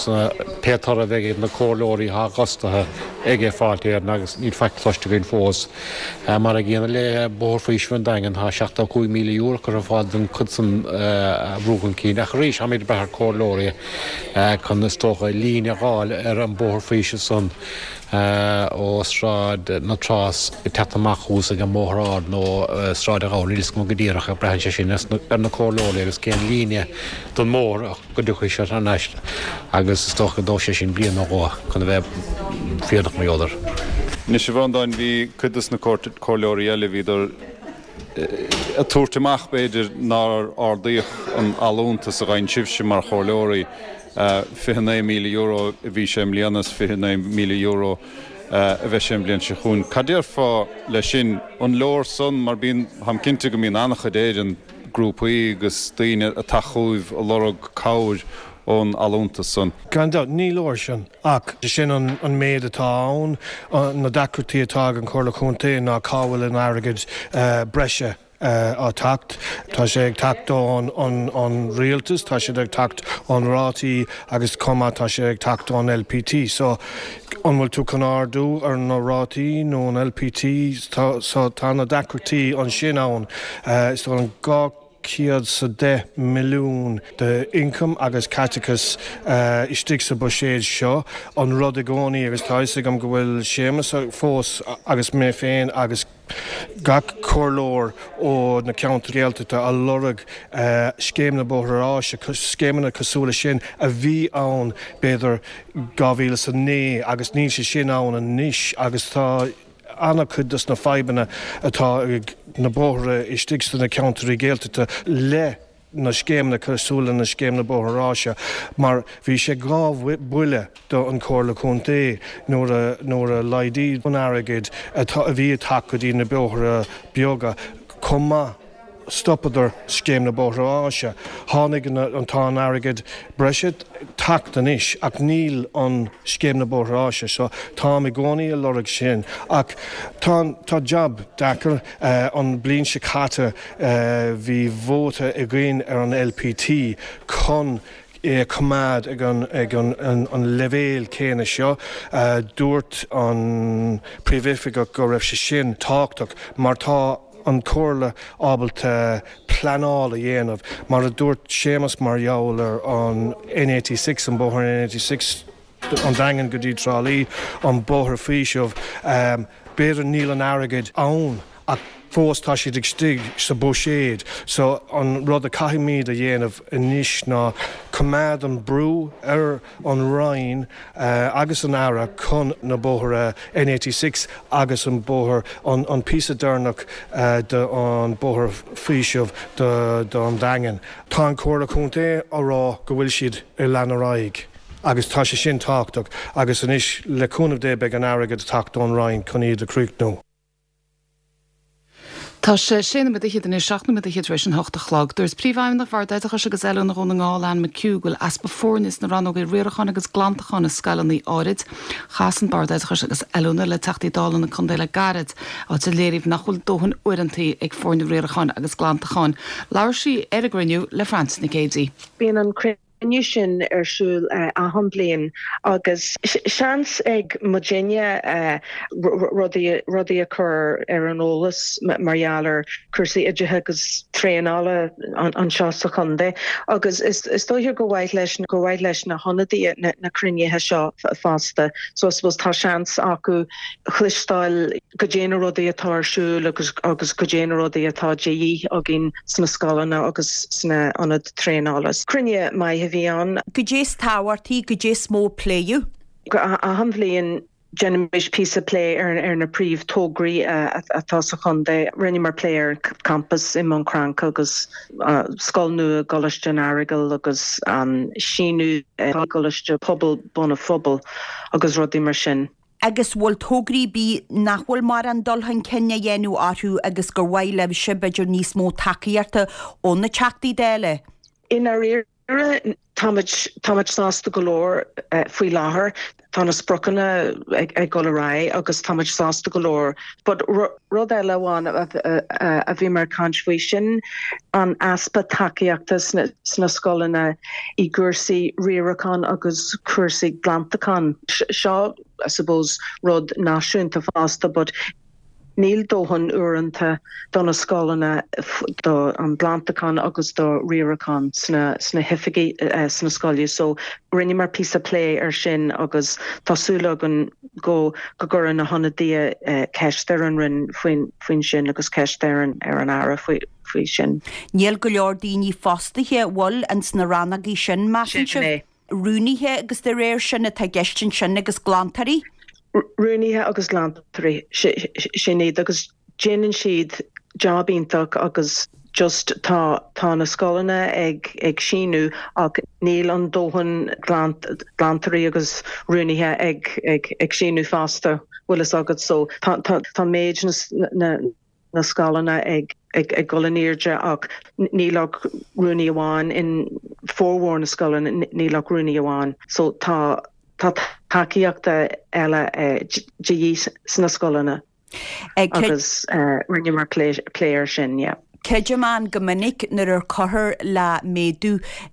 [SPEAKER 8] pé toradh a bheidh ag na comhairleoirí atá fostaithe ag Fáilte Éireann agus níl faic cloiste againn fós. Mar an gcéanna le Bóthar Faoisimh an Daingin, tá €75,000 curtha ar fáil don chuid san a bhrú chun cinn. Ach arís, táimid ag brath ar comhairleoirí chun, is dócha, líne a dh'fháil ar an bóthar faoisimh san. Ó Sráid na Trá ag teacht amach thuas ag an mBóthar Ard nó Sráid an Ghabhla, níl 'fhios agam go díreach, ach braitheann sé sin ar na comhairleoirí agus cén líne den mbóthar go dtiocfaidh siad thar n-ais agus is dócha go dtógfaidh sé sin bliain nó dhó chun a bheith fírinneach mar gheall air.
[SPEAKER 9] Anois a Bhreandáin, bhí cuid dos na comhairleoirí eile, bhíodar ag tabhairt amach b'fhéidir nár ardaíodh an allúntas a gheibheann sibhse mar chomhairleoirí. €29,000 a bhí sé i mbliana is €29,000 a bheidh sé an bhliain seo chugainn. Cad déarfá leis sin? An leor san? Mar bíonn, táim cinnte go mbíonn an-chuid Éireann, grúpaí agus daoine ag teacht chugaibh ag lorg cabhair ón allúntas san.
[SPEAKER 10] Gan dabht, ní leor sin ach sin an méid atá ann. Na deacrachtaí atá ag an Chomhairle Chontae ná cá bhfuil an airgead breise á teacht. Tá sé ag teacht ón rialtas, tá siad ag teacht ón rátaí agus chomh maith tá sé ag teacht ón LPT. So, an bhfuil tú chun ardú ar na rátaí nó an LPT? So, tá na deacrachtaí ansin ann. Is dóigh liom 210 milliún de ioncam agus caiteachas istigh sa buiséad seo. An rud i gcónaí, agus tá fhios agam go bhfuil Séamus fós agus mé féin agus, gach comhairleoir ó na ceantair Ghaeltachta a lorg Scéim na Bóithre Áise, scéimeanna cosúil leis sin a bhí ann b'fhéidir 2009 agus níl sé sin ann anois agus tá an-chuid dos na fadhbanna atá ag na bóithre istigh sna ceantair Ghaeltachta le na scéimeanna cosúil le na Scéim na Bóithre Áise mar bhí sé 2 bhuille do an Chomhairle Contae nuair a nuair a laghdaíodh an airgead atá a bhí ag teacht go dtí na bóithre beaga chomh maith stopadar Scéim na Bóithre Áise. Tháinig an tá an airgead breise teacht anois ach níl an Scéim na Bóithre Áise so táim i gcónaí a lorg sin ach tá tá jab deacair an bliain seo caite bhí vóta againn ar an LPT chun é a choimeád ag an ag an an leibhéal céanna seo. Dúirt an Príomhoifigeach go raibh sé sin tábhachtach mar tá an Chomhairle ábalta pleanáil a dhéanamh. Mar a dúirt Séamus mar gheall ar an N86, an bóthar N86, an Daingean go dtí Trá Lí, an bóthar faoisimh, b'fhéidir níl an airgead ann ach fós tá siad istigh sa buiséad. So an rud a caithfimid a dhéanamh anois ná coimeád an brú ar an Roinn agus an Aire chun na bóithre N86 agus an bóthar, an píosa deireanach de an bóthar faoisimh don Daingean. Tá an Chomhairle Contae á rá go bhfuil siad ag lean ar aghaidh agus tá sé sin tábhachtach agus anois le cúnamh Dé beidh an airgead ag teacht ón Roinn chun iad a chríochnú.
[SPEAKER 1] Tá sé sé nóiméad fhichead anois, 7 nóiméad fhichead tar éis an hocht a chlog. Dúirt Príomhfheidhmeannach Bhord Oideachais agus Oiliúna Dhún na nGall, Anne McHugh, go bhfuil easpa foirne sna rannógaí riaracháin agus glantacháin i scoileanna áirid. Chas an Bord Oideachais agus Oiliúna le Teachtaí Dála na contae le gairid, áit a léiríodh nach bhfuil dóthain uaireanta ag foirne riaracháin agus glantacháin. Labhair sí ar an gcruinniú le Frances Nic Géadaigh.
[SPEAKER 11] Bíonn an cruinniú sin ar siúl achan bliain agus seans ag muidinne rudaí rudaí a chur ar an eolas mar gheall ar chúrsaí oideachais agus traenála anseo sa chontae agus is dóiche gur mhaith leis gur mhaith leis na hionadaithe na cruinnithe seo fosta so I suppose tá seans acu chloisteáil goidé na rudaí atá ar siúl agus agus goidé na rudaí atá de dhíth againn sna scoileanna agus sna ionaid traenála. Cruinniú maith a bhí ann.
[SPEAKER 12] Goidé is tábhachtaí, goidé is mó a pléadh?
[SPEAKER 11] Achan bhliain déanaimid píosa plé ar na príomh tograí atá sa chontae. Rinneamar plé ar an campas i mBun Cranncha agus scoil nua i gColáiste an Earagail agus an síneadh i gColáiste Pobail Bun an Phobail agus rudaí mar sin.
[SPEAKER 12] Agus bhfuil tograí ar bith nach bhfuil mórán dul chun cinn á dhéanamh orthu agus gur mhaith libhse b'fhéidir níos mó tacaíochta ó na Teachtaí Dála?
[SPEAKER 11] I ndáiríre, táimid, táimid sásta go leor faoi láthair. Tá na spriocanna ag dul ar aghaidh agus táimid sásta go leor. But rud eile amháin a bhíomar ag caint faoi, sin an easpa tacaíochta sna scoileanna i gcúrsaí riaracháin agus cúrsaí glantacháin. Seo I suppose rud náisiúnta fosta but. Níl dóthain uaireanta do na scoileanna do an glantachán agus do riarachán sna sna hoifigí sna scoile so rinneamar píosa plé ar sin agus tá súil againn go go gcuirfidh na hionadaithe ceist ar an Roinn faoin faoin sin agus ceist ar an ar an Aire faoi faoi sin.
[SPEAKER 12] Níl go leor daoine fostaithe, an bhfuil, ins na rannógaí sin, measann
[SPEAKER 11] Sin
[SPEAKER 12] sibh?
[SPEAKER 11] é.
[SPEAKER 12] Rúnaithe agus de réir sin atá i gceist ansin agus glantóirí?
[SPEAKER 11] Rúnaithe agus glantóirí, sin iad agus déanann siad job iontach agus just tá tá na scoileanna ag ag síniú ach níl an dóthain glantóirí agus rúnaithe ag ag ag síniú fosta, bhfuil fhios agat so tá tá tá méid na na na scoileanna ag ag dul in airde ach níl ach rúnaí amháin in formhór na scoileanna níl ach rúnaí amháin so tá tá tacaíocht eile de dhíth sna scoileanna agus rinneamar plé air sin yeah.
[SPEAKER 12] Creidim ann go minic nuair a cuirtear le méadú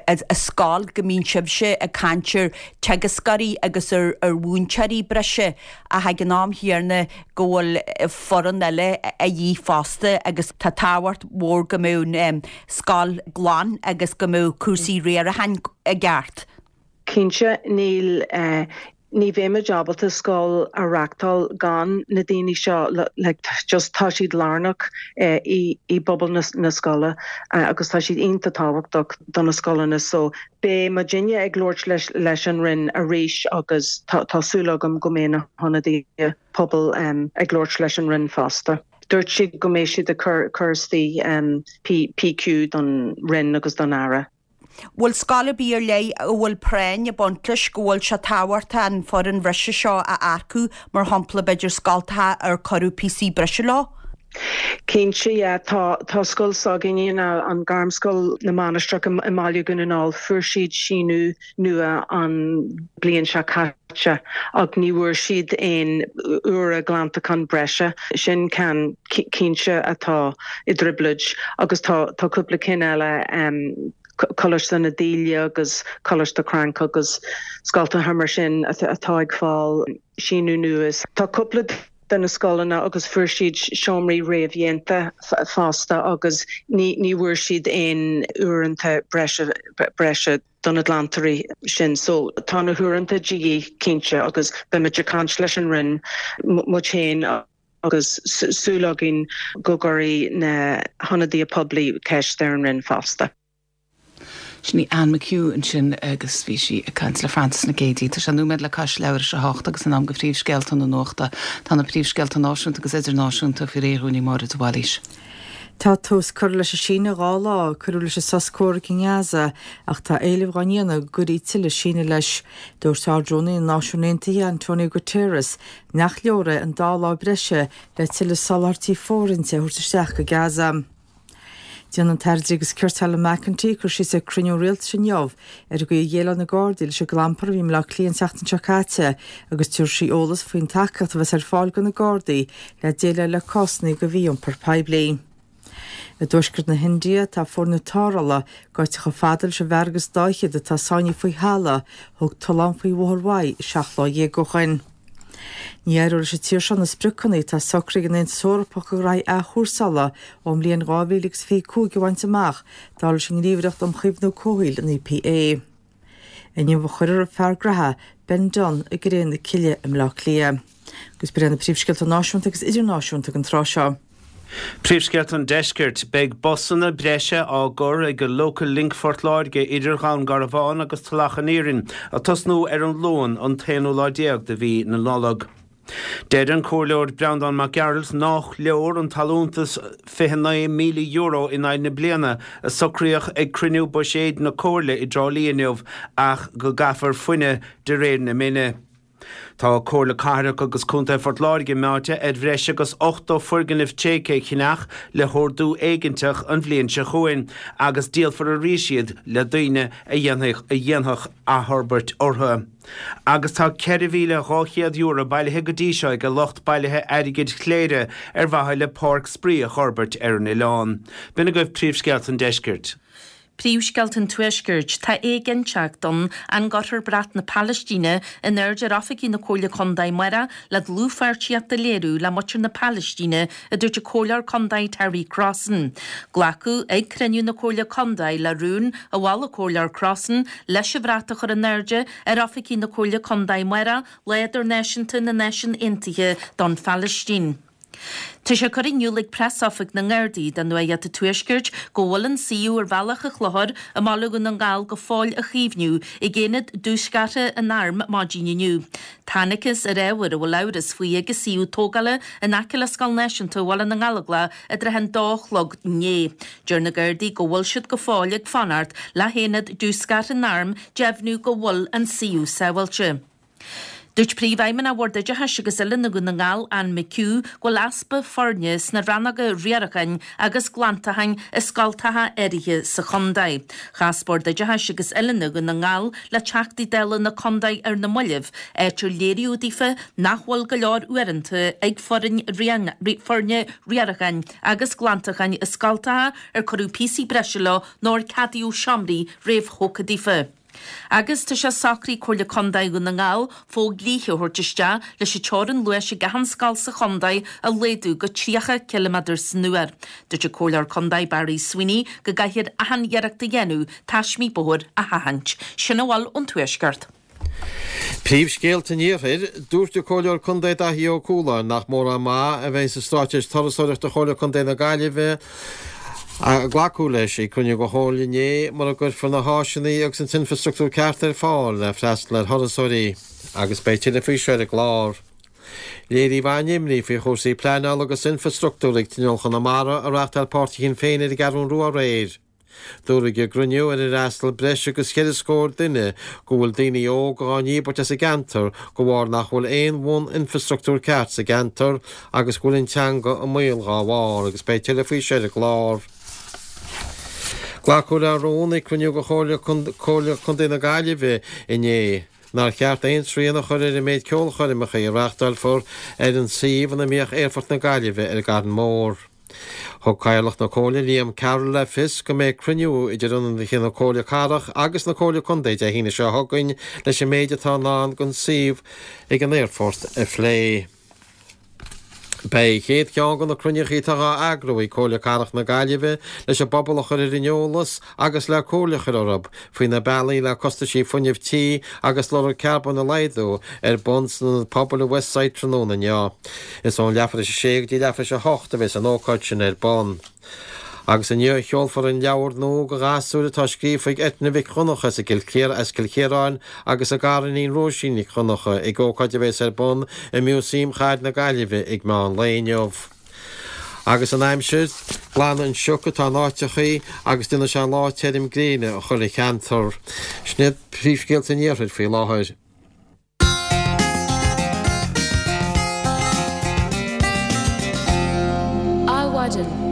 [SPEAKER 12] i scoil go mbíonn sibhse ag caint ar teagascóirí agus ar mhúinteoirí breise ach ag an am chéanna go bhfuil foireann eile a dhíth fosta agus tá tábhacht mhór go mbeadh an scoil glan agus go mbeadh cúrsaí riaracháin i gceart.
[SPEAKER 11] Cinnte, níl, ní bheimid ábalta scoil a reachtáil gan na daoine seo, like just tá siad lárnach i bpobal na scoile agus tá siad iontach tábhachtach do na scoileanna so beidh muidinne ag labhairt leis an Roinn arís agus tá súil agam go mbeidh na hionadaithe pobail ag labhairt leis an Roinn fosta. Dúirt siad go mbeidh siad ag cur istigh PQ don Roinn agus don Aire.
[SPEAKER 12] Bhfuil scoil ar bith ar leith a bhfuil práinn ag baint leis go bhfuil sé tábhachtach an foireann bhreise seo a earcú, mar shampla b'fhéidir scoltacha ar cuireadh píosaí breise leo?
[SPEAKER 11] Cinnte, yeah. Tá, tá scoil s'againne, an Ghairmscoil na Mainistreach i mBaile Dhún na nGall, fuair siad síniú nua an bliain seo caite ach ní bhfuair siad aon uaire glantacháin breise. Sin ceann cinnte atá i dtrioblóid agus tá tá cúpla cinn eile, Coláiste na Daoile agus Coláiste Cranncha agus scoltacha mar sin atá ag fáil síniú nua. Tá cúpla de na scoileanna agus fuair siad seomraí réamhdhéanta fosta agus ní ní bhfuair siad aon uaireanta breise breise do na glantóirí sin. So tá na huaireanta de dhíth cinnte agus beimid ag caint leis an Roinn, muid féin agus súil againn go gcuirfidh na hionadaithe poiblí ceist ar an Roinn fosta.
[SPEAKER 1] Sin í Anne McHugh ansin agus bhí sí ag caint le Frances Nic Géadaigh. Tá sé nóiméad le cois leathuair tar éis a hocht agus in am do phríomhscéalta na nuachta. Tá na príomhscéalta náisiúnta agus idirnáisiúnta faoi réir dhúinn ag Máire de Bhailís.
[SPEAKER 2] Tá tús curtha leis an síneadh 2 lá a cuireadh leis an sos comhraic i nGaza ach tá éilimh dhá ndéanamh go gcuirfí tuilleadh sínidh leis. Dúirt Ard-Rúnaí na Náisiún Aontaithe Antonio Guterres nach leor é an dá lá breise le tuilleadh soláthairtí fóirithinte a thabhairt isteach go Gaza. Déanfaidh an tAire Dlí agus Cirt Helen McEntee cur síos ag cruinniú rialtais inniu ar an gcaoi a dhéileáil na Gardaí leis an gclampar a bhí i mBleá Cliath an tseachtain seo caite agus tabharfaidh sí eolas faoin tacaíocht a bheas ar fáil do na Gardaí le déileáil le cásanna de mhí-iompar poiblí. I dtuaisceart na hIndia tá foirne tarrthála gaibhte chomh fada leis an bhfear agus dá fhichead atá sáinnithe faoi thalamh a thug tollán faoi Bhóthar Mhaigh 17 lá ó shoin. Ní éireoidh leis an tír seo na spriocanna atá socraithe ag an Aontas Eorpach do ghraithí athchúrsála ón mbliain 2025 a bhaint amach, dar leis an nGníomhaireacht um Chaomhnú Comhshaoil, an EPA. Inniu a chuirfear an fear graithe, Ben Dunne, i gcré na cille i mBleá Cliath. Agus b'in iad na príomhscéalta náisiúnta agus idirnáisiúnta don tráth seo.
[SPEAKER 3] Príomhscéalta an Deiscirt, Beidh busanna breise á gcur ag Local Link Phort Láirge idir Dhún Garbhán agus Tulach an Iarainn, ag tosnú ar an Luan an t-aonú lá déag de mhí na Nollag. Deir an Comhairleoir Breandán Mac Gearailt nách leor an t-allúntas €29,000 in aghaidh na bliana a socraíodh ag cruinniú buiséid na Comhairle i dTrá Lí inniu ach go gcaithfear fuineadh de réir na mine. Tá Comhairle Cathrach agus Contae Phort Láirge meáite ar bhreis agus 80 foirgneamh tréigthe a cheannach le hordú éiginteach an bhliain seo chugainn agus díolfar arís iad le daoine a dhéanfadh athfhorbairt orthu. Agus tá €4,200 bailithe go dtí seo ag lucht bailithe airgid Chléire ar mhaithe le páirc spraoi a fhorbairt ar an oileán. B'in agaibh príomhscéalta an deiscirt.
[SPEAKER 4] Príomhscéalta an Tuaiscirt, Tá éiginnteacht ann an gcuirfear brat na Palaistíne in airde ar oifigí na Comhairle Contae amárach le dlúthpháirtíocht a léiriú le muintir na Palaistíne, a dúirt an Comhairleoir Contae Terry Crossan. Glacadh ag cruinniú na Comhairle Contae le rún a mhol an Comhairleoir Crossan leis an bhrat a chur in airde ar oifigí na Comhairle Contae amárach, Lá Idirnáisiúnta na Náisiún Aontaithe don Phalaistín. Tá sé curtha in iúl ag Preasoifig na nGardaí do Nuacht an Tuaiscirt go bhfuil an suíomh ar Bhealach an Chlochair i mBaile Dhún na nGall go fóill á chaomhnú ag Aonad Diúscartha an Airm maidin inniu. Thángthas ar ábhar a bhfuil amhras faoi ag an suíomh tógála in aice le Scoil Náisiúnta Bhaile na nGallóglach i dtrátha an dó a chlog inné. Deir na Gardaí go bhfuil siad go fóill ag fanacht le hAonad Diúscartha an Airm deimhniú go bhfuil an suíomh sábháilte. Dúirt Príomhfheidhmeannach Bhord Oideachais agus Oiliúna Dhún na nGall, Anne McHugh, go bhfuil easpa foirne sna rannóga riaracháin agus glantacháin i scoltacha áirithe sa chontae. Chas Bord Oideachais agus Oiliúna Dhún na nGall le Teachtaí Dála na contae ar na mallaibh, áit ar léiríodh daofa nach bhfuil go leor uaireanta ag foireann foirne riaracháin agus glantacháin i scoltacha ar cuireadh píosaí breise leo nó ar ceadaíodh seomraí réamhthógtha daofa. Agus tá sé socraithe ag Comhairle Contae Dhún na nGall fodhlíthe a thabhairt isteach leis an teorainn luais ag achan scoil sa chontae a laghdú go 30 ciliméadar san uair. Dúirt an Comhairleoir Contae Barry Sweeney go gcaithfear achan iarracht a dhéanamh taismí bóthair a sheachaint. Sin a bhfuil ón Tuaisceart.
[SPEAKER 5] Príomhscéalta an Iarthair, Dúirt an Comhairleoir Contae Daithí Ó Cualáin nach mórán maith a bheidh sa Straitéis Turasóireachta Chomhairle Contae na Gaillimhe a glacadh leis ag cruinniú den Chomhairle inné mura gcuirfear na háiseanna agus an t-infreastruchtúr ceart ar fáil le freastal ar thurasóirí agus beidh tuilleadh faoi seo ar an gclár. Léiríodh an-imní faoi chúrsaí pleanála agus infreastruchtúir ag Tionól Chonamara a reáchtáil páirtí Shinn Féin ar an gCeathrú Rua aréir. Dúradh ag an gcruinniú ar ar fhreastail breis agus cheithre scór duine go bhfuil daoine óga á ndíbirt as an gceantar de bharr nach bhfuil aon bhun-infreastruchtúr ceart sa gceantar agus go bhfuil an teanga i mbaol dhá bharr agus beidh tuilleadh faoi seo ar an gclár. Glacadh le rún ag cruinniú de Chomhairle Contae na Gaillimhe inné nár cheart aon srian a chur ar an méid ceolchoirmeacha a reáchtálfar ar an suíomh ina mbíodh Aerfort na Gaillimhe ar an gCarn Mór. Thug Cathaoirleach na Comhairle, Liam Carroll le fios go mbeidh cruinniú idir ionadaithe na Comhairle Cathrach agus na Comhairle Contae Dé hAoine seo chugainn leis an méid atá i ndán don suíomh ag an aerfort a phlé. Beidh an chéad cheann de na cruinnithe atá á eagrú ag Comhairle Cathrach na Gaillimhe leis an bpobal a chur ar an eolas agus le comhairle a chur orthu faoi na bealaí le costaisí fuinnimh tí agus lorg carbóin a laghdú ar bun san Ionad Pobail i Westside tráthnóna inniu. Is ón leathuair tar éis a sé go dtí leathuair tar éis a hocht a bheas an ócáid sin ar bun. Agus inniu a sheolfar an leabhar nua do ghasúir atá scríofa ag Eithne Mhic Dhonncha as Cill Chiaráin agus a gariníon Róisín Nic Dhonncha ag ócáid a bheas ar bun i Músaem Chathair na Gaillimhe ag meán lae inniu. Agus an aimsir, glanfaidh an sioc atá in áiteachaí agus déanfaidh sé lá tirim gréine i chuile cheantar. Sin iad príomhscéalta an iarthair faoi láthair.
[SPEAKER 1] Adhmhaidin.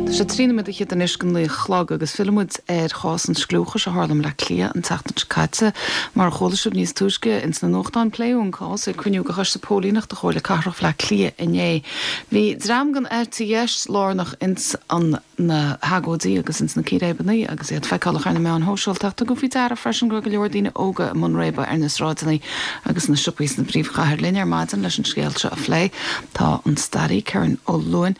[SPEAKER 1] Tá sé 13 nóiméad anois go naoi a chlog agus fillfidh muid ar chás an scliúchais a tharla i mBleá Cliath an tseachtain seo caite. Mar a chuala sibh níos túisce ins na nuachtáin, pléadh an cás ag cruinniú de Choiste Póilíneachta Chomhairle Cathrach Bhleá Cliath inné. Bhí dream den eite dheis lárnach ins an na hagóidí agus ins na círéibeanna agus iad feiceálach ar na meáin shóisialta ach tugadh faoi deara freisin go raibh go leor daoine óga i mbun réabadh ar na sráideanna agus sna siopaí sna bpríomhchathair. Linn ar maidin leis an scéal seo a phlé tá an staraí Kerron Ó Luain.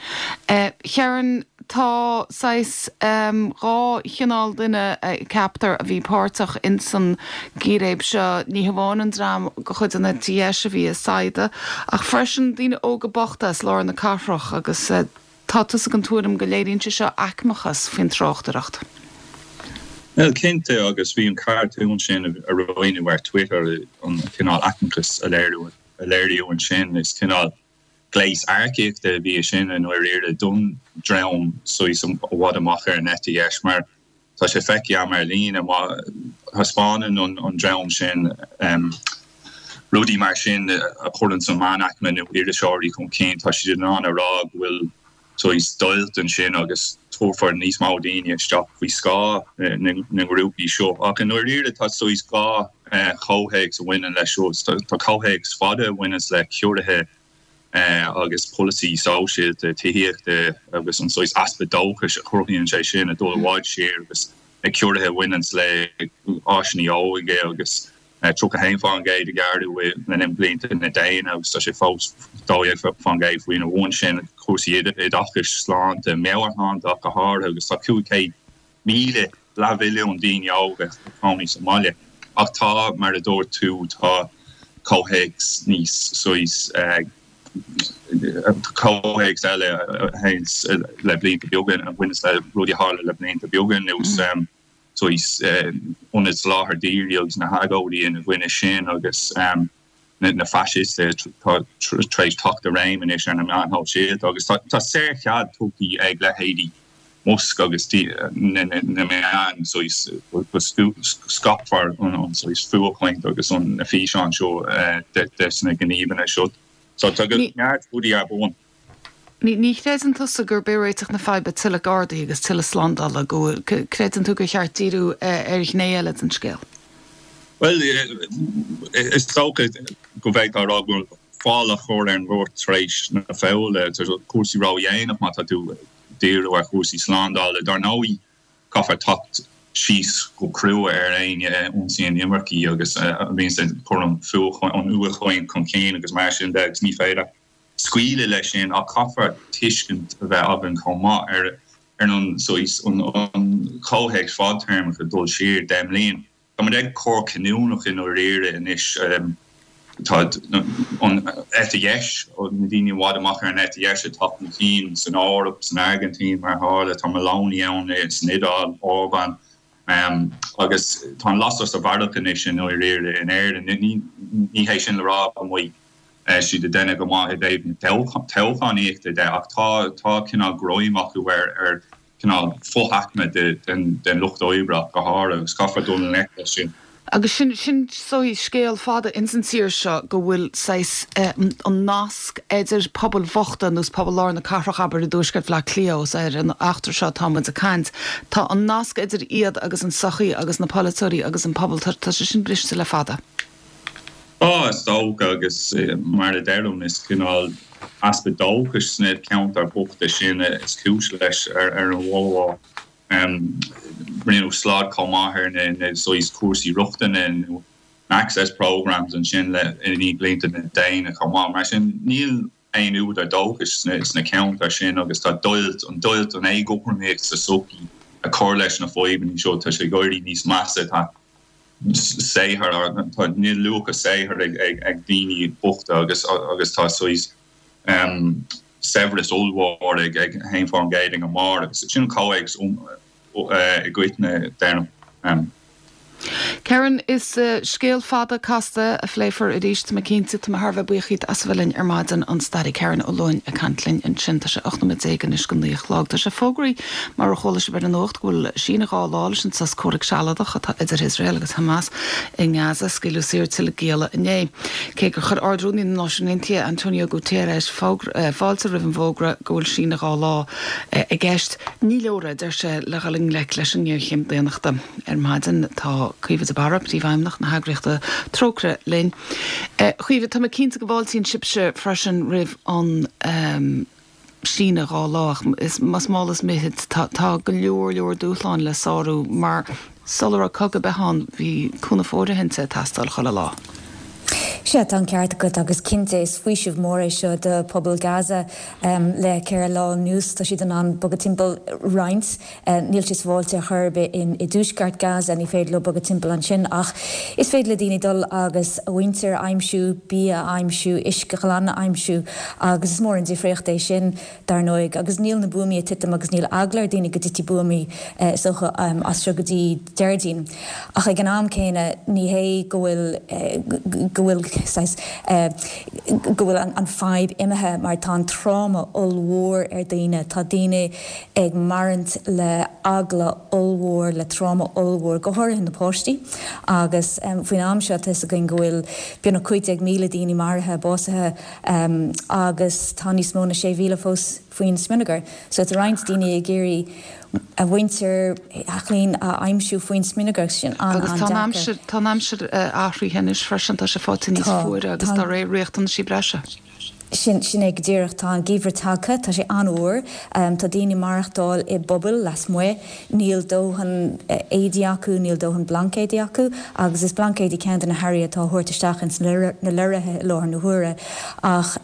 [SPEAKER 1] Kerron, tá saghas 2 chineál duine, ceaptar, a bhí páirteach ins an gcíréib seo, ní hamháin an dream de chuid an eite dheis a bhí ag saighdeadh ach freisin daoine óga bochta as lár na cathrach agus tá tusa den tuairim go léiríonn sé seo aicmeachas faoin tráchtaireacht.
[SPEAKER 13] Bhuel, cinnte, agus bhí an cartún sin a roinneadh ar Twitter, an cineál aicmeachas a léiríodh ansin, is cineál gléas earcaíochta a bhí ansin i ndáiríre don dream saghas i bhfad amach ar an eite dheis mar tá sé feicthe agam ar líne má thaispeánann an dream sin rudaí mar sin a chuireann an meánaicme nó iriseoirí chun cinn tá siad in ann a rá go bhfuil saghas deighilt ansin agus tabharfar níos mó daoine isteach faoi scáth na ngrúpaí seo. Ach i ndáiríre tá saghas 2 chomhthéacs a bhaineann leis seo. Tá comhthéacs fada a bhaineanns le ciorruithe. Agus polasaí sóisialta, tithíochta agus an saghas easpa dóchais a chruthaíonn sé sin ag dul i bhfad siar agus na ciorruithe a bhaineanns le áiseanna óige agus 31% a gearradh le linn blianta na déine agus tá sé fós 12% faoina bhun sin, cúrsaí oideachais, sláinte, meabhairshláinte ach go háirithe agus tá 500,000, leathmhilliún daoine óga ag cónaí sa mbaile. Ach tá, mar a dúirt tú, tá comhthéacs níos saghas, comhthéacs eile a théanns le blianta beaga, a bhaineanns le rudaí a tharla le blianta beaga anuas. saghas ionaid soláthair dhírigh agus na hagóidí ina gcoinne sin agus na faisistithe atá tar éis teacht i réim anois ar na meáin shóisialta agus tá saorchead tugtha ag leithéidí Musk agus na meáin saghas go scaipfear an saghas fuathchaint agus na físeáin seo des na gníomhanna seo. So tá neart rudaí ar bun.
[SPEAKER 1] Ní chreideann tusa gurb é réiteach na faidhbe tuilleadh gardaí agus tuilleadh slándála, go bhfuil, creideann tú gur cheart díriú ar ghné eile den scéal?
[SPEAKER 13] Bhuel, is dócha go bhféadfá a rá go bhfuil fál á chur ar an ngort tar éis na foghla. Tá cúrsaí ródhéanach má tá tú ag díriú ar chúrsaí slándála. Dar ndóigh, caithfear teacht síos go crua ar éinne a ionsaíonn imircigh agus a bhíonns ag cur an fhuathchaint chun cinn agus mar sin de agus ní féidir scaoileadh leis sin ach caithfear tuiscint a bheith againn chomh maith ar an saghas, an comhthéacs fadtéarmach ag dul siar 10 mbliain. Tá muid ag cor cinniúnach i ndáiríre anois. Tá an eite dheis, na daoine i bhfad amach ar an eite dheis ag teacht chun cinn san Eoraip, san Airgintín mar a tharla, tá Meloni ann san Iodáil, Orbán, agus tá an lasair sa bharrach anois i ndáiríre in Éirinn. Ní hé sin le rá go mbeidh siad ag déanamh go maith i dtaobh na toghchánaíochta de ach tá tá cineál greim acu ar ar cineál fo-aicme den lucht oibre ach go háirithe agus caithfear dul i ngleic leis sin.
[SPEAKER 1] Agus sin sin saghas scéal fada ins an tír seo go bhfuil saghas an nasc idir pobail bhochta nós pobal lár na cathrach abair i dtuaisceart Bhaile Átha Cliath ós ar an eachtra seo atá muid ag caint tá an nasc idir iad agus an sochaí agus na polaiteoirí agus an pobal tá tá sé sin briste le fada.
[SPEAKER 13] Tá, is dócha, agus mar a deirim, is cineál easpa dóchais sna ceantair bochta sin is cúis leis ar an mhórmhór. Rinneadh slad chomh maith ar na saghas cúrsaí rochtana nó access programmes ansin le i ndiaidh blianta na déine chomh maith. Mar sin, níl aon údar dóchais sna ceantair sin agus tá deighilt, an deighilt, an éagothromaíocht sa tsochaí ag cur leis na fadhbanna seo. Tá sé ag éirí níos measa. Tá saothar, tá, níl luach a saothair ag daoine bochta agus agus tá saghas saibhreas ollmhór ag 1% ag an mbarr agus sin an comhthéacs i gcoitinne, deirim.
[SPEAKER 1] Kerron, is scéal fada casta a phléifear arís, tá mé cinnte. Tá mé thar a bheith buíoch díot as a bheith linn ar maidin, an staraí Kerron Ó Luain ag caint linn ansin. Tá sé 18 nóiméad anois go 9 a chlog. Tá sé fógraithe, mar a chuala sibh ar an nuacht, go bhfuil síneadh 2 lá leis an sos comhraic sealadach atá idir Iosrael agus Hamas i nGaza. Scaoileadh saor tuilleadh gialla inné. Cé gur chuir Ard-Rúnaí na Náisiún Aontaithe, Antonio Guterres, fáilte roimh an bhfógra go bhfuil síneadh 2 lá i gceist, ní leor é, a deir sé, le dhul i ngleic leis an ngéarchéim daonnachta. Ar maidin tá Caoimhe de Barra, Príomhfheidhmeannach na heagraíochta Trócaire linn. A Chaoimhe, tá mé cinnte go bhfáiltíonn sibhse freisin roimh an síneadh 2 lá ach is más mall is mithid tá tá go leor leor dúshláin le sárú mar sula raibh cogadh ar bith ann bhí cúnamh fóirithinte ag teastáil chuile lá.
[SPEAKER 14] Sea, tá an ceart agat agus cinnte is faoiseamh mór é seo do phobal Gaza. Le ceithre lá anuas tá siad in ann bogadh timpeall roinnt. Níl sé sábháilte ar chor ar bith i dtuaisceart Gaza, ní féidir leo bogadh timpeall ansin ach is féidir le daoine dul agus a mhuintir a aimsiú, bia a aimsiú, uisce glan a aimsiú agus is mór an difríocht é sin. dar ndóigh, agus níl na buamaí ag titim agus níl eagla ar daoine go dtitfidh buamaí, is dócha, as seo go dtí Déardaoin. Ach ag an am céanna, ní hé go bhfuil, go bhfuil saghas, go bhfuil an fadhb imithe mar tá an tráma ollmhór ar daoine, tá daoine ag maireachtaint le eagla ollmhór, le tráma ollmhór, go háirithe na páistí. Agus faoin am seo tá 'fhios againn go bhfuil beagnach 15,000 daoine maraithe, básaithe, agus tá níos mó na 6,000 fós faoin smionagar. So tá roinnt daoine ag iarraidh a mhuintir, a gclann a aimsiú faoin smionagar agus sin
[SPEAKER 1] Agus tá an aimsir, tá an aimsir athraithe anois freisin, tá sé faighte níos fuaire agus dá réir riachtanaisí breise.
[SPEAKER 14] Sin, sin é go díreach. Tá an geimhreadh tagtha, tá sé an-fhuar, tá daoine ag maireachtáil i bpubaill lasmuigh, níl dóthain éadaí acu, níl dóthain blaincéidí acu agus is blaincéidí ceann de na hearraí atá á thabhairt isteach ins na lorraithe i láthair na huaire. Ach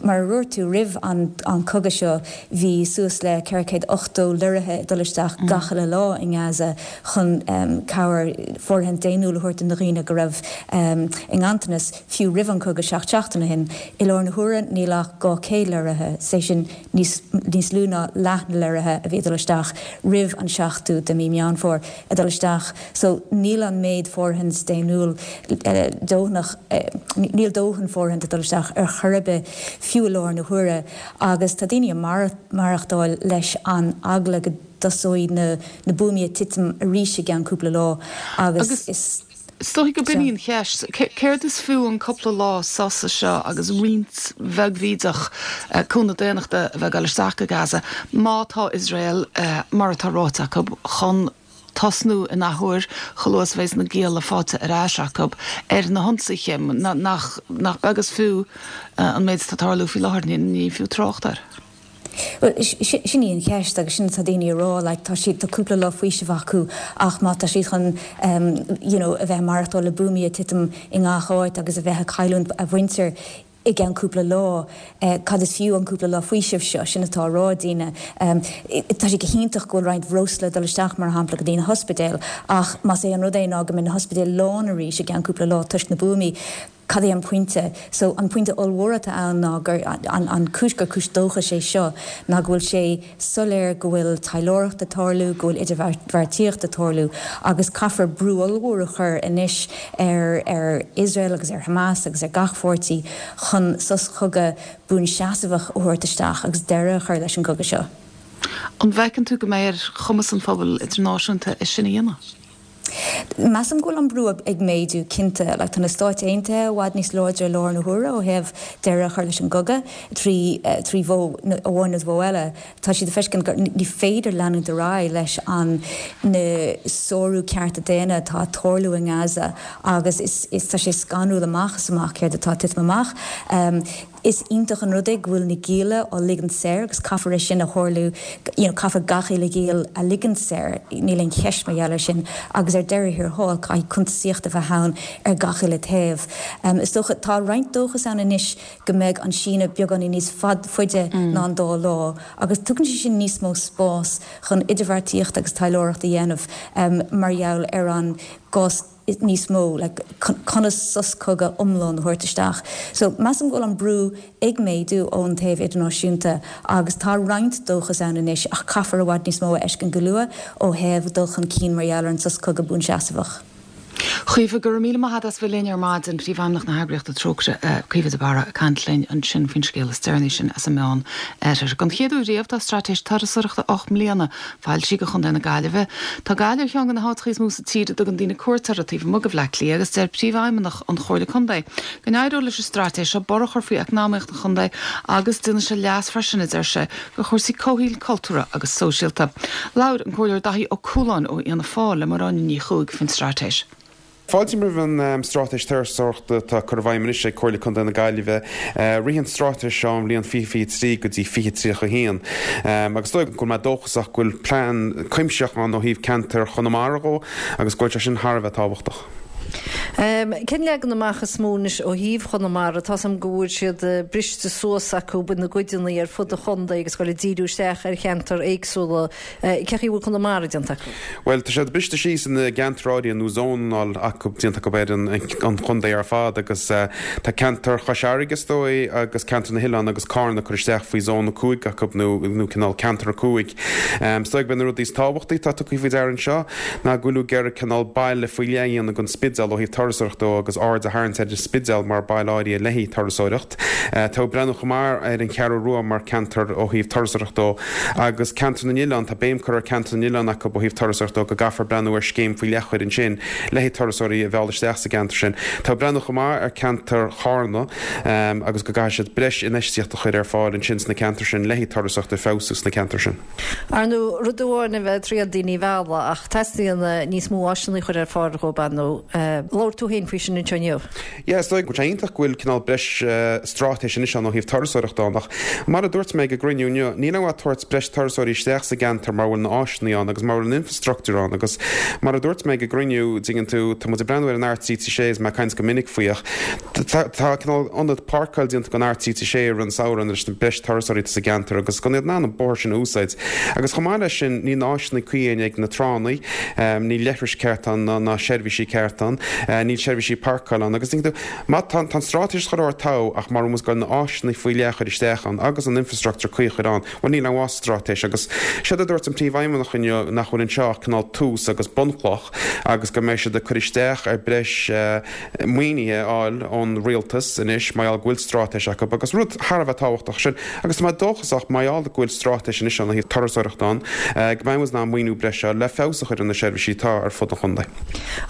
[SPEAKER 14] mar a dúirt tú, roimh an an cogadh seo bhí suas le 480 lorraithe ag dul isteach gach uile lá i nGaza chun cabhair, fóirithint daonnúil a thabhairt do na dhaoine go raibh i nganntanas. Fiú roimh an cogadh 7 seachtain ó shin, i láthair na huaire níl ach 200 lorraithe, is é sin níos níos lú ná leath na lorraithe a bhí ag dul isteach roimh an 7ú de mí Meán Fómhair ag dul isteach. So níl an méid fóirithint daonnúil dóthanach, níl dóthain fóirithint ag dul isteach ar chor ar bith fiú i láthair na huaire agus tá daoine ag maireachtáil leis an eagla go dtosóidh na na buamaí ag titim arís i gceann cúpla lá agus is
[SPEAKER 1] Is dóigh go b'in í an cheist. Céard is fiú an cúpla lá sosa seo agus roinnt bheag bhídeach cúnamh daonnachta a bheith ag dul isteach go Gaza má tá Iosrael, mar atá ráite acu, chun tosnú in athuair chomh luath is a bheas na gialla faighte ar ais acu ar na hionsaithe? Nach beag is fiú an méid atá ag tarlú faoi láthair, ní fiú trácht air.
[SPEAKER 14] Bhuel, sin í an cheist agus sin atá daoine a rá, like, tá siad, tá cúpla lá faoisimh acu ach má tá siad chun you know a bheith ag maireachtáil le buamaí ag titim i ngach áit agus a bheith ag cailliúint a mhuintir i gceann cúpla lá, cad is fiú an cúpla lá faoisimh seo? Sin atá á rá ag daoine. Tá sé go hiontach go bhfuil roinnt bhreosla ag dul isteach mar shampla go dtí na hospidéil ach más é an rud é ná go mbeidh na hospidéil lán arís i gceann cúpla lá toisc na buamaí, Cad é an pointe? So, an pointe ollmhór atá ann ná gur, an cúis gur cúis dóchais é seo ná go bhfuil sé soiléir go bhfuil taidhleoireacht ag tarlú, go bhfuil idirbheartaíocht ag tarlú agus caithfear brú ollmhór a chur anois ar, ar Iosrael agus ar Hamas agus ar gach pháirtí chun sos cogaidh buanseasmhach a thabhairt isteach agus deireadh a chur leis an gcogadh seo.
[SPEAKER 1] An bhfeiceann tú go mbeidh ar chumas an phobail idirnáisiúnta é sin a dhéanamh?
[SPEAKER 14] Measaim go bhfuil an brú ag méadú, cinnte. Like, tá na Stáit Aontaithe i bhfad níos láidre i láthair na huaire ó thaobh deireadh a chur leis an gcogadh trí trí mhodh amháin nó mhodh eile. Tá siad ag feiscint gur ní féidir leanúint ar aghaidh leis an na sárú cearta daonna atá ag tarlú i nGaza agus is is tá sé scanrúil amach is amach céard atá ag titim amach. Is iontach an rud é go bhfuil na gialla á ligint saor agus caithfear é sin a tharlú, you know, caithfear gach uile ghiall a ligint saor, níl aon cheist mar gheall air sin agus ar deireadh thiar thall caithfidh cuntasaíocht a bheith ann ar gach uile taobh. Is dócha, tá roinnt dóchas ann anois go mbeidh an síneadh beagáinín níos faide ná an dá lá agus tugann sé sin níos mó spás chun idirbheartaíocht agus taidhleoireacht a dhéanamh mar gheall ar an gcás níos mó, like, conas sos cogaidh iomlán a thabhairt isteach. So, measaim go bhfuil an brú ag méadú ón taobh idirnáisiúnta agus tá roinnt dóchas ann anois ach caithfear i bhfad níos mó a fheiscint go luath ó thaobh dul chun cinn mar gheall ar an sos cogaidh buanseasmhach.
[SPEAKER 1] Caoimhe, go raibh míle maith agat as bheith linn ar maidin. Príomhfheidhmeannach na heagraíochta Trócaire, Caoimhe de Barra, ag caint linn ansin faoin scéal is deireanaí sin as an Meán Oirthear. Don chéad uair riamh tá straitéis turasóireachta 8 mbliana foilsithe do Chontae na Gaillimhe. Tá Gaillimh ar cheann de na háiteacha is mó sa tír a dtugann daoine cuairt orthu taobh amuigh de Bhleá Cliath agus deir Príomhfheidhmeannach an Chomhairle Contae go n-éireoidh leis an straitéis seo borradh a chur faoi eacnamaíocht an chontae agus déanfaidh sé leas freisin, a deir sé, do chúrsaí comhshaoil, cultúrtha agus sóisialta. Labhair an Comhairleoir Daithí Ó Cualáin ó Fhianna Fáil le Máire Áine Ní Chuaig faoin straitéis.
[SPEAKER 15] Fáiltím roimh an Straitéis Turasóireachta atá curtha i bhfeidhm anois ag Comhairle Contae na Gaillimhe. Rithfidh an straitéis seo ón bhliain 2023 go dtí 2031 agus is dóigh go bhfuil mé dóchasach go bhfuil plean cuimsitheach ann ó thaobh ceantar Chonamara dhó agus go bhfuil sé sin thar a bheith tábhachtach.
[SPEAKER 16] Cén leagan amach is mó anois ó thaobh Chonamara? Tá's a'm go bhfuil siad briste suas acu ina gcuideanna ar fud an chontae agus ag dul ag díriú isteach ar cheantair éagsúla. Cé chaoi a bhfuil Conamara déanta acu?
[SPEAKER 15] Bhuel, tá siad briste síos ina gceantair áirithe nó zónáil acu, déanta acu ar an chontae ar fad agus tá ceantar Chois Fharraige is dóigh agus ceantar na hOileán agus Cárna curtha isteach faoi zón 5 acu nó nó cineál ceantar 5. Is dóigh gurb é na rudaí is tábhachtaí atá tugtha faoi deara anseo ná go bhfuil ag iarraidh cineál baile faoi leith a dhéanamh den Spidéal ó thaobh turasóireachta dó agus aird a tharraingt ar an Spidéal mar baile áirithe le haghaidh turasóireacht. Tá ag breathnú chomh maith ar an Cheathrú Rua mar ceantar ó thaobh turasóireachta dó Agus Ceantar na nOileán, tá béim curtha ar Ceantar na nOileán acu ó thaobh turasóireachta dó, go gcaithfear breathnú ar scéim faoi leith a chur ansin le haghaidh turasóirí a mhealladh isteach sa gceantar sin. Tá ag breathnú chomh maith ar ceantar Chárna agus go gcaithfidh siad breis infheistíocht a chur ar fáil ansin sna ceantair sin le haghaidh turasóireacht a feabhsú sna ceantair sin.
[SPEAKER 16] Ar ndóigh, rud amháin a bheith ag triail daoine a mhealladh ach teastaíonn níos mó áiseanna a chur ar fáil dhóibh, ar ndóigh. Labhair tú féin faoi sin anseo inniu.
[SPEAKER 15] Yeah, is dóigh go bhfuil sé iontach go bhfuil cineál breis straitéis anois ann ó thaobh turasóireachta ann ach mar a dúirt mé ag an gcruinniú inniu, níl aon mhaith tabhairt breis turasóirí isteach sa gceantar mara bhfuil na áiseanna ann agus mara bhfuil an infrastructúr ann agus mar a dúirt mé ag an gcruinniú, dtuigeann tú, tá muid ag breathnú ar an R336 is mé ag caint go minic faoi ach tá tá cineál ionad páirceáil déanta don R336 i rith an samhradh leis na breis turasóirí atá sa gceantar agus go mbeidh iad in ann an bóthar sin a úsáid agus chomh maith leis sin níl na áiseanna cuí ann ag na tránna, níl leithris ceart ann ná seirbhísí ceart ann, níl seirbhísí páirceála ann agus dtuigeann tú, má tá an straitéis chomh ard togha ach mara bhfuil muid ag goil na áiseanna faoi leith a chur isteach ann agus an infrastructure cuí a chur ann, bhuel níl aon mhaith sa straitéis agus séard a dúirt an Príomhfheidhmeannach inniu nach bhfuil anseo ach cineál tús agus bunchloch agus go mbeidh siad ag cur isteach ar breis maoinithe a fháil ón rialtas anois mar gheall go bhfuil straitéis acu agus rud thar a bheith tábhachtach sin agus tá mé dóchasach mar gheall go bhfuil straitéis anois ann ó thaobh turasóireachta ann go mbeidh muid in ann maoiniú breise a fháil le feabhas a chur ar na seirbhísí atá ar fud an chontae.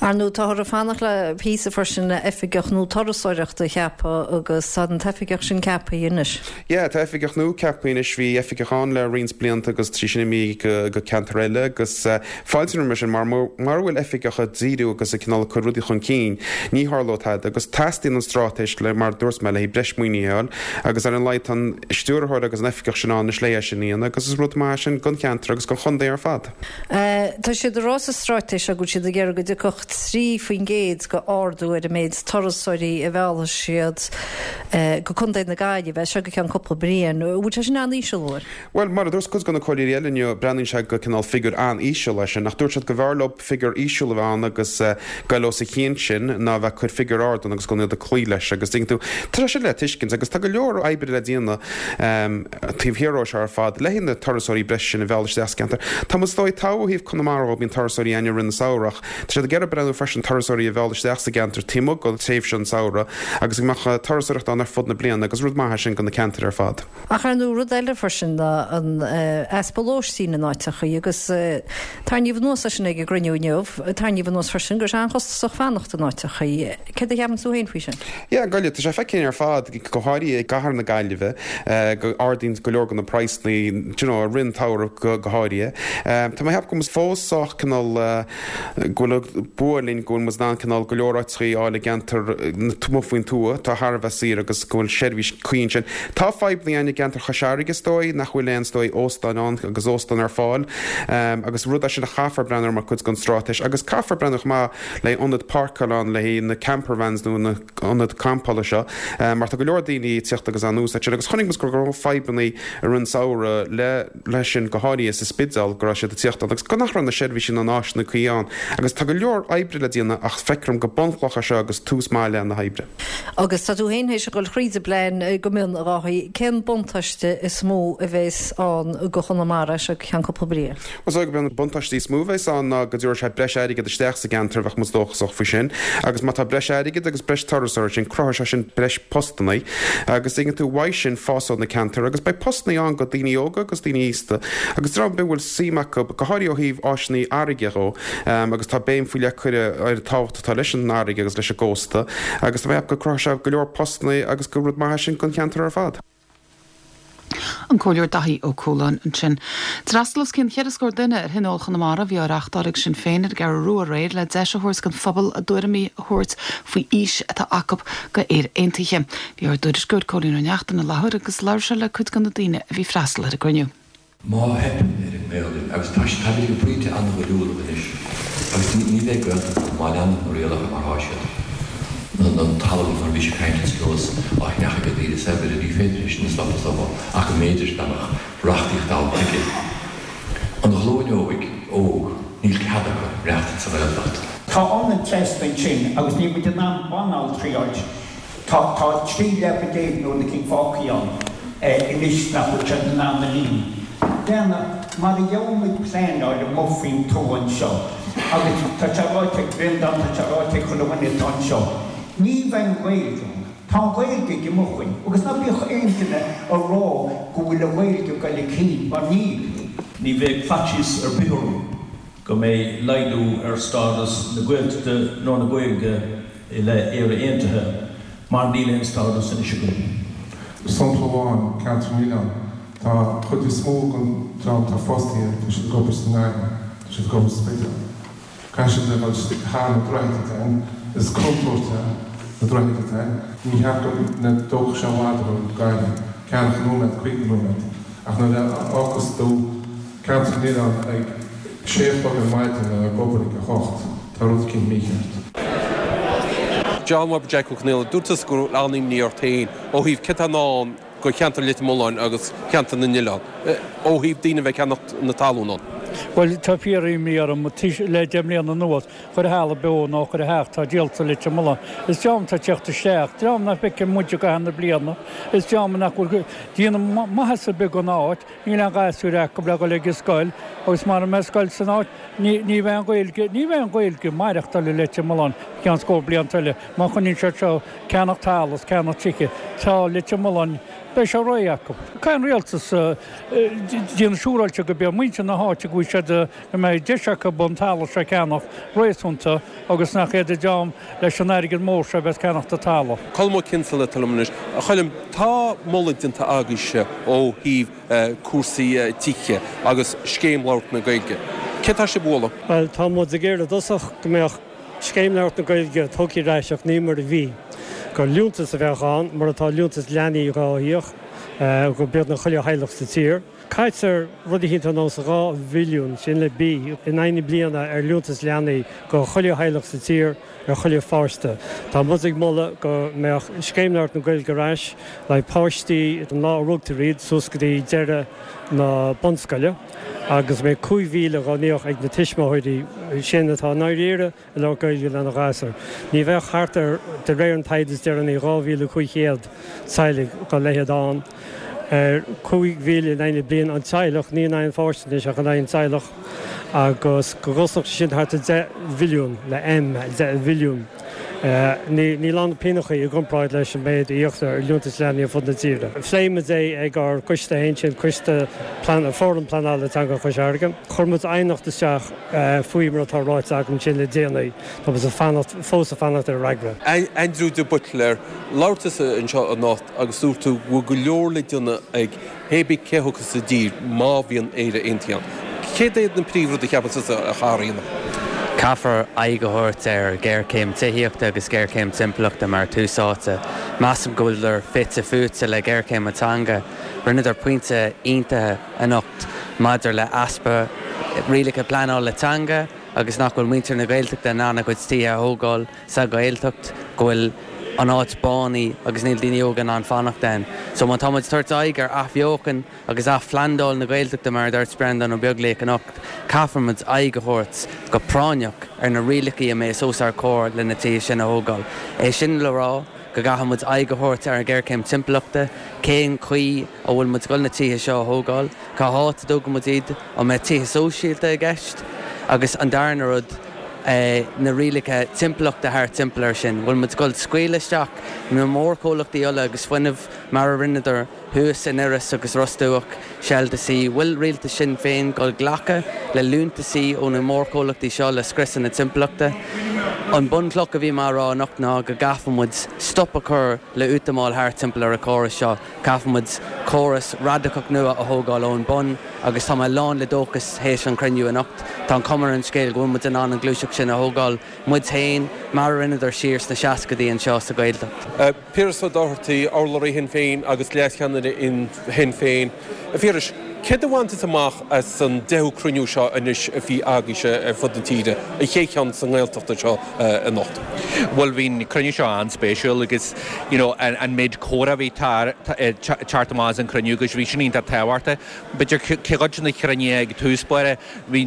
[SPEAKER 16] Ar ndóigh, táthar ag fanacht le píosa freisin le oifigeach nua turasóireachta a cheapadh agus tá an t-oifigeach sin ceaptha anois.
[SPEAKER 15] Yeah, tá oifigeach nua ceaptha anois. Bhí oifigeach ann le roinnt blianta agus tá sí sin imithe go ceantar eile agus fáiltím roimhe sin mar mara bhfuil oifigeach ag díriú agus ag cineál ag cur rudaí chun cinn, ní tharlóidh tada agus teastaíonn an straitéis le, mar a dúirt mé, le haghaidh breis maoinithe a fháil agus ar an laghad tá an stiúrthóir agus an oifigeach sin ann anois le é sin a dhéanamh agus is rud maith é sin don cheantar agus don chontae ar fad.
[SPEAKER 16] Tá siad ag rá sa straitéis seo go bhfuil siad ag iarraidh go dtiocfadh 3% de ardú ar an méid turasóirí a mheallfaidh siad go Contae na Gaillimhe as seo go ceann cúpla bliain. An bhfuil sé sin an-íseal, an bhfuil?
[SPEAKER 15] Bhuel, mar a dúirt cuid de na comhairleoirí eile inniu, breathnaíonn sé go cineál figiúr an-íseal é sin. Ach dúirt siad go mb'fhearr leo figiúr íseal a bheith ann agus goil os a chionn sin ná a bheith ag cur figiúr ard ann agus go mbeadh iad ag cloí leis. Agus tuigeann tú, tá sé sin le tuiscint agus tá go leor oibre le déanamh taobh thiar dhó seo ar fad le haghaidh na turasóirí breise sin a mhealladh isteach sa gceantar. Tá muid is dóigh togha ó thaobh Conamara dhó, bíonn turasóirí againn i rith an samhradh ach tá siad ag iarraidh breathnú freisin turasóirí a mhealladh isteach sa gceantar taobh amuigh de tréimhse an tsamhraidh agus go mbeadh turasóireacht ann ar fud na bliana agus rud maith é sin do na ceantair ar fad.
[SPEAKER 16] Ach ar ndóigh rud eile freisin ná an easpa lóistín in áiteachaí agus tarraingíodh anuas é sin ag an gcruinniú inniu, tarraingíodh anuas freisin go raibh sé an-chostasach fanacht in áiteachaí. Céard a cheapann tú féin faoi sin?
[SPEAKER 15] Yeah, Gaillimh, tá sé feicthe againn ar fad, go háirithe i gcathair na Gaillimhe, go ardaíonn go leor de na praghsanna, do you know, i rith an tsamhraidh go go háirithe. Tá mé ag ceapadh go bhfuil muid fós sách cineál, go bhfuil an bua linn go bhfuil muid in ann cineál go leor áiteachaí a fháil i gceantar amuigh faoin tuath atá thar a bheith saor agus go bhfuil seirbhís cuí ansin. Tá fadhbanna ann i gceantar Chois Fharraige is dóigh, nach bhfuil aon is dóigh óstáin ann agus óstáin ar fáil agus rud é sin a chaithfear breathnú air mar chuid den straitéis agus caithfear breathnú chomh maith le ionad páirceála ann le haghaidh na camper vans nó na ionaid campála seo mar tá go leor daoine ag tíocht agus á n-úsáid sin agus chonaic muid go raibh fadhbanna i rith an samhradh le leis sin, go háirithe sa Spidéal, go raibh siad ag tíocht ann agus go nach raibh na seirbhísí ná na áiseanna cuí ann. Agus tá go leor oibre le déanamh ach feictear dom gur bunchloch é seo agus tús maith le na hoibre.
[SPEAKER 16] Agus tá tú féin théis a dhul thríd an bplean go mion, a Dháithí. Cén buntáiste is mó a bheas ann go Chonamara as seo go ceann cúpla bliain?
[SPEAKER 15] Is dóigh gurb é an buntáiste is mó a bheas ann ná go dtabharfaidh sé breis airgid isteach sa gceantar, bheadh muid dóchasach faoi sin. Agus má tá breis airgid agus breis turasóirí ansin, cruthóidh sé sin breis postannaí. Agus tuigeann tú, uaidh sin fásóidh na ceantair agus beidh postannaí ann go daoine óga agus daoine aosta agus dream ar bith a bhfuil suim acu, go háirithe ó thaobh áiseanna farraige dhó. Agus tá béim faoi leith curtha ar an tábhacht atá leis an fharraige agus leis an gcósta agus tá mé ag ceapadh go cruthóidh sé go leor postannaí agus gur rud maith é sin don cheantar ar fad.
[SPEAKER 1] An Comhairleoir Daithí Ó Cualáin ansin. D'fhreastail os cionn cheithre scór duine ar Thionól Chonamara a bhí á reáchtáil ag Sinn Féin ar an gCeathrú Rua aréir le deis a thabhairt don phobal a dtuairimí a thabhairt faoi fhís atá acu go Éire Aontaithe. Bhí ár dtuairisceoir Cóilín Ó Neachtain i láthair agus labhair sé le cuid de na daoine a bhí ag freastal ar an gcruinniú.
[SPEAKER 17] Má theipeann ar an nGaolainn, agus tá sé, táimid ag pointe an-ghoiriúlach anois, agus ní, ní bheidh Gaeltacht ann má leanann na rialacha mar thá siad, an talamh mar a bhís ag caint ar nós á cheannach ag daoine saibhre, ní féidir é sin a stopadh is dócha, ach go mb'fhéidir dá mbeadh reachtaíocht ann chuige. An ghlúin óig, óg, níl cead acu maireachtaint sa Ghaeltacht.
[SPEAKER 18] Tá ionad seasta ansin agus níl muid in ann banaltraí a fháilt. Tá tá 13 leaba nó rud eicínt fágthaí ann anois nach bhfuil siad in ann a líonadh. Déana, mar a gheobhaidh muid pleanáil amuigh faoin tuath anseo, agus tá sé ráite ag Breandán, tá sé ráite ag chuile dhuine atá anseo, ní bheidh an Ghaeilge ann. Tá an Ghaeilge ag imeacht uainn, agus ná bíodh aon duine a rá go bhfuil an Ghaeilge ag goil chun cinn, mar níl.
[SPEAKER 19] Ní bheadh faitíos ar bith orm go mbeidh laghdú ar stádas na Gaeltachta nó na Gaeilge i leith Éire Aontaithe mar níl aon stádas anois againn.
[SPEAKER 20] Sampla amháin, Ceantar na nOileán, tá an chuid is mó den dream atá fostaithe, tá siad ag obair sa nDaingean, tá siad ag obair sa Spidéal. Caithfidh siad a dhul thar na droichid ann. Is contúirt é na droichid atá ann. Ní cheart go dtógfadh sé i bhfad a dhul go Gaillimh, ceathracha nóiméad, 50 nóiméad, ach nuair a fhágas tú Ceantar na nOileán ag sé a chlog ar maidin le ag obair ag a hocht, tá rud eicínt mícheart.
[SPEAKER 21] John Webber Jack Ó Conaola, dúirt tusa go raibh an-imní ort féin ó thaobh céard atá i ndán do cheantar Leitir Mealláin agus ceantar na nOileán, ó thaobh daoine a bheith ag ceannacht na talún ann.
[SPEAKER 22] Bhuel, tá fíor-imní orm le 10 mbliana anuas, chuile thalamh beo nó chuile theach atá díolta i Leitir Mealláin. Is dream atá ag teacht isteach, dream nach bhfeiceann muid i gcaitheamh na bliana, is dream nach bhfuil ag déanamh maitheas ar bith don áit, níl aon ghasúir acu le dhul ag an scoil agus mara mbeidh scoil san áit, ní ní bheidh an Ghaeilge, ní bheidh an Ghaeilge ag maireachtáil i Leitir Mealláin i gceann scór blianta eile má choinníonn siad seo ceannach talamh is ceannach tithe. Tá Leitir Mealláin, beidh sé réidh acu. Caithfidh an rialtas déanamh siúráilte go mbeidh muintir na háite go bhfuil siad, go mbeidh deis acu an talamh seo a cheannach réasúnta agus nach iad an dream leis an airgead mór seo a bheas ag ceannacht an talamh.
[SPEAKER 21] Colm Ó Cinnseala atá liom anois. A Choilm, tá moladh déanta agaibhse ó thaobh cúrsaí tithe agus Scéim Labhairt na Gaeilge. Céard tá sibh a mholadh?
[SPEAKER 23] Bhuel, tá muid ag iarraidh i dtosach go mbeadh Scéim Labhairt na Gaeilge tugtha ar ais ach ní mar a bhí. Gur liúntas a bheadh ann, mar atá liúntas leanaí dhá íoc go beagnach chuile theaghlach sa tír. Caitear rud eicínt ar nós 2 bhilliún, sin le B, in aghaidh na bliana ar liúntas leanaí go chuile theaghlach sa tír, ar chuile pháiste. Tá muid ag moladh go mbeadh Scéim Labhairt na Gaeilge ar ais le páistí ón lá a rugtar iad suas go dtí deireadh na bunscoile agus go mbeidh 5,000 dhá n-íoc ag na tuismitheoirí sin atá i ndáiríre ag labhairt Gaeilge lena ghasúir. Ní bheadh thart ar, de réir an taighde is deireanaí, 2,500 teaghlaigh dá leithéid ann. Ar 5,000 in aghaidh na bliana an teaghlach, ní in aghaidh an pháiste anois ach in aghaidh an teaghlach, agus go gcosnódh sé sin thart ar 10 mhilliún, le M, 10 mhilliún. Níl ann ach pighneachaí i gcomparáid leis an méid a íoctar ar liúntais leanaí ar fud na tíre. Phléigh muid é ag ár gcoiste féin, sin Coiste Fóram Pleanála Teanga Chois Fharraige. Chuir muid aighneacht isteach faoi mar atá ráite agam ansin le déanaí. Tá muid ag fanacht, fós ag fanacht ar fhreagra.
[SPEAKER 21] Aindriú de Buitléir, labhair tusa anseo anocht agus dúirt tú go bhfuil go leor le déanamh ag pé bith cé a thiocfas i dtír má bhíonn Éire Aontaithe ann. Céard iad na príomhrudaí a cheapann tusa a chaithfear a dhéanamh?
[SPEAKER 24] Caithfear aghaidh a thabhairt ar ghéarchéim tithíochta agus géarchéim timpeallachta mar tús áite. Measaim go bhfuileadar fite fuaite le géarchéim na teanga. Rinneadar pointe iontach anocht maidir le easpa rialacha pleanála teanga agus nach bhfuil muintir na Gaeltachta in ann a gcuid tithe a thógáil sa Ghaeltacht, go bhfuil an áit bánaithe agus níl daoine óga in ann fanacht ann. So má tá muid ag tabhairt aghaidh ar athbheochan agus athphlandáil na Gaeltachta mar a dúirt Breandán Ó Beaglaoich anocht, caithfidh muid aghaidh a thabhairt go práinneach ar na rialacha a mbeas os ár comhair le na tithe sin a thógáil. É sin le rá go gcaithfidh muid aghaidh a thabhairt ar an ghéarchéim timpeallachta, cén chaoi a bhfuil muid ag dul na tithe seo a thógáil, cá háit a dtógfaidh muid iad, an mbeidh tithe sóisialta i gceist? Agus an darna rud, na rialacha timpeallachta thart timpeall air sin, bhfuil muid ag dul scaoileadh isteach na mórchomhlachtaí ola agus fuinnimh mar a rinneadar thuas in Iorras agus Ros Dumhach, Shell to Sea, bhfuil rialtas Shinn Féin ag dul glacadh le liúntasaí ó na mórchomhlachtaí seo le scriosadh na timpeallachta? An bunchloch a bhí mé a rá anocht ná go gcaithfidh muid stop a chur le útamáil thart timpeall ar an chóras seo. Caithfidh muid córas radacach nua a thógáil ón bun agus tá mé lán le dóchas théis an chruinniú anocht. Tá an chuma ar an scéal go bhfuil muid in ann an ghluaiseacht sin a thógáil muid féin, mar a rinneadar siar sna seascaidí anseo sa Ghaeltacht.
[SPEAKER 21] Piaras Ó Dochartaigh, urlabhraí Shinn Féin agus leascheannaire Shinn Féin. A Phiarais, céard a bhain tusa amach as an deichiú cruinniú seo anois a bhí agaibhse ar fud na tíre, an chéad cheann sa nGaeltacht anseo anocht?
[SPEAKER 25] Bhuel, bhí an cruinniú seo an-spéisiúil agus you know an méid comhrá a bhí teacht amach as an chruinniú agus bhí sin iontach tábhachtach. B'fhéidir cuid de na cruinnithe ag tús báire, bhí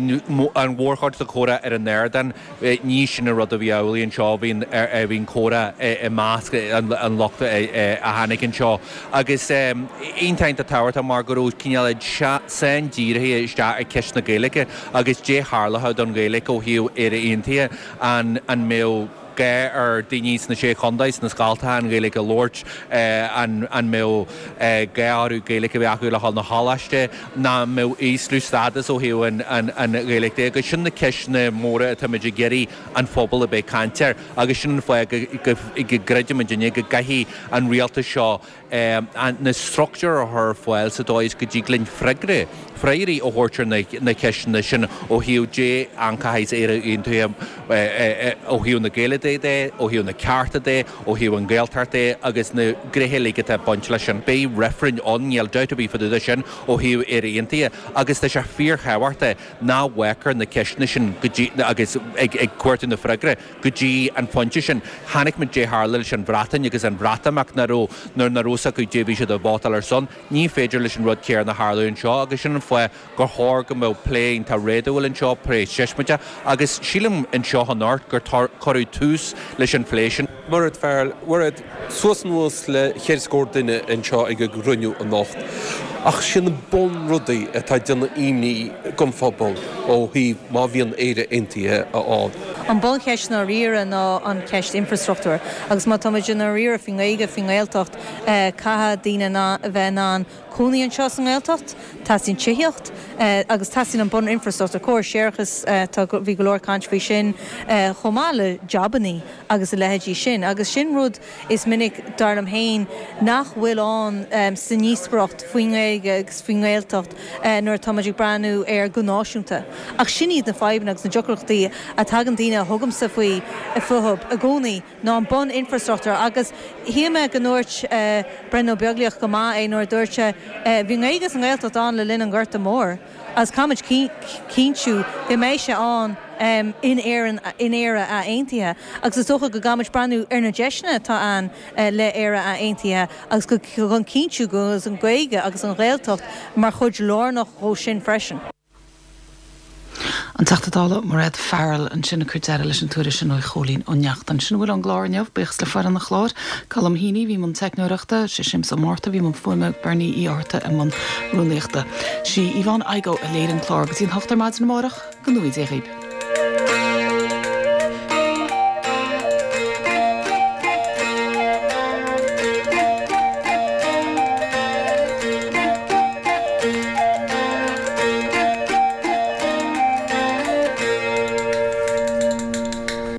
[SPEAKER 25] an mhórchuid de chomhrá ar an ardán, Ní sin an rud a bhí amhlaidh anseo, bhí an comhrá i measc an lucht a tháinig anseo agus iontach iontach tábhachtach mar go raibh cineál sain-dírithe isteach ar cheist na Gaeilge agus dé tharlódh don Ghaeilge ó thaobh Éire Aontaithe, an mbeadh gá ar daoine sna Sé Chontae, sna scoltacha an Ghaeilge a labhairt, an mbeadh gá orthu Gaeilge a bheith acu le dhul 'na choláiste, ná an mbeadh ísliú stádas ó thaobh an Ghaeilge de agus sin na ceisteanna móra atáimid ag iarraidh an phobal a bheith ag caint air agus sin an fáth go gcreidimidne go gcaithfidh an rialtas seo na struchtúir a chur ar fáil sa dóigh is go dtig linn freagra. freagraí a thabhairt ar na ceisteanna sin ó thaobh dé an chaithfidh Éire Aontaithe ó thaobh na Gaeilge de, ó thaobh na cearta de, ó thaobh an Ghaeltacht de agus na gnéithe uilig atá ag baint leis sin. Beidh reifreann ann, níl dabht ar bith fá dtaobh de sin ó thaobh Éire Aontaithe agus tá sé fíorthábhachtach ná bhfágfar na ceisteanna sin go dtí agus ag ag cuartú na freagra go dtí an phointe sin. Chonaic muid dé tharla leis an Bhreatain agus an Bhreatimeacht nach raibh nuair nach raibh 's acu dé bhí siad ag vótáil ar son. Ní féidir leis an rud céanna tharlú anseo agus sin an fáth gur chóir go mbeadh plé iontach réadúil anseo, plé siosmaideach agus sílim anseo anocht gur cuireadh tús leis an phlé sin.
[SPEAKER 21] Mairéad Farrell, Mairéad, suas anuas le cheithre scór duine anseo ag an gcruinniú anocht ach sin na bunrudaí atá ag déanamh imní don phobal ó thaobh má bhíonn Éire Aontaithe ann.
[SPEAKER 6] An buncheist i ndáiríre ná an cheist infreastruchtúir agus má tá muid i ndáiríre faoin nGaeilge, faoin nGaeltacht, caithfidh daoine a bheith in ann cónaí anseo sa nGaeltacht, teastaíonn tithíocht agus teastaíonn an bun-infreastruchtúr, córas séarachais, tá, bhí go leor caint faoi sin, chomh maith le jabannaí agus a leithéidí sin. Agus sin rud is minic, dar liom féin, nach bhfuil ann sa ndíospóireacht faoin nGaeilge agus faoin nGaeltacht nuair atá muid ag breathnú air go náisiúnta. Ach sin iad na fadhbanna agus na deacrachtaí a tagann daoine a thugamsa faoi fúthu i gcónaí. ná an bun-infreastruchtúr agus shíl mé go ndúirt Brendan Ó Beaglaoich go maith é nuair a dúirt sé bhí an Ghaeilge sa nGaeltacht ann le linn an Ghorta Mhóir agus caithfimid cinntiú go mbeidh sé ann in Éirinn, in Éire ath-aontaithe agus is dócha go gcaithfimid breathnú ar na deiseanna atá ann le Éire ath-aontaithe agus go chun cinntiú go bhfuil an Ghaeilge agus an Ghaeltacht mar chuid lárnach dhó sin freisin.
[SPEAKER 1] An Teachta Dála Mairéad Farrell ansin ag cur deireadh leis an tuairisc sin ó Chóilín Ó Neachtain. Sin a bhfuil ón gclár inniu. Buíochas le foireann an chláir, Colm Heaney a bhí i mbun teicneoireachta, sé Séamus Ó Márta a bhí i mbun fuaime, Bernie Uí Fhátharta i mbun rúnaíochta. Sí Yvonne Igoe a léirigh an clár go dtí an hocht ar maidin amárach. Go ngnóthaí Dia dhaoib.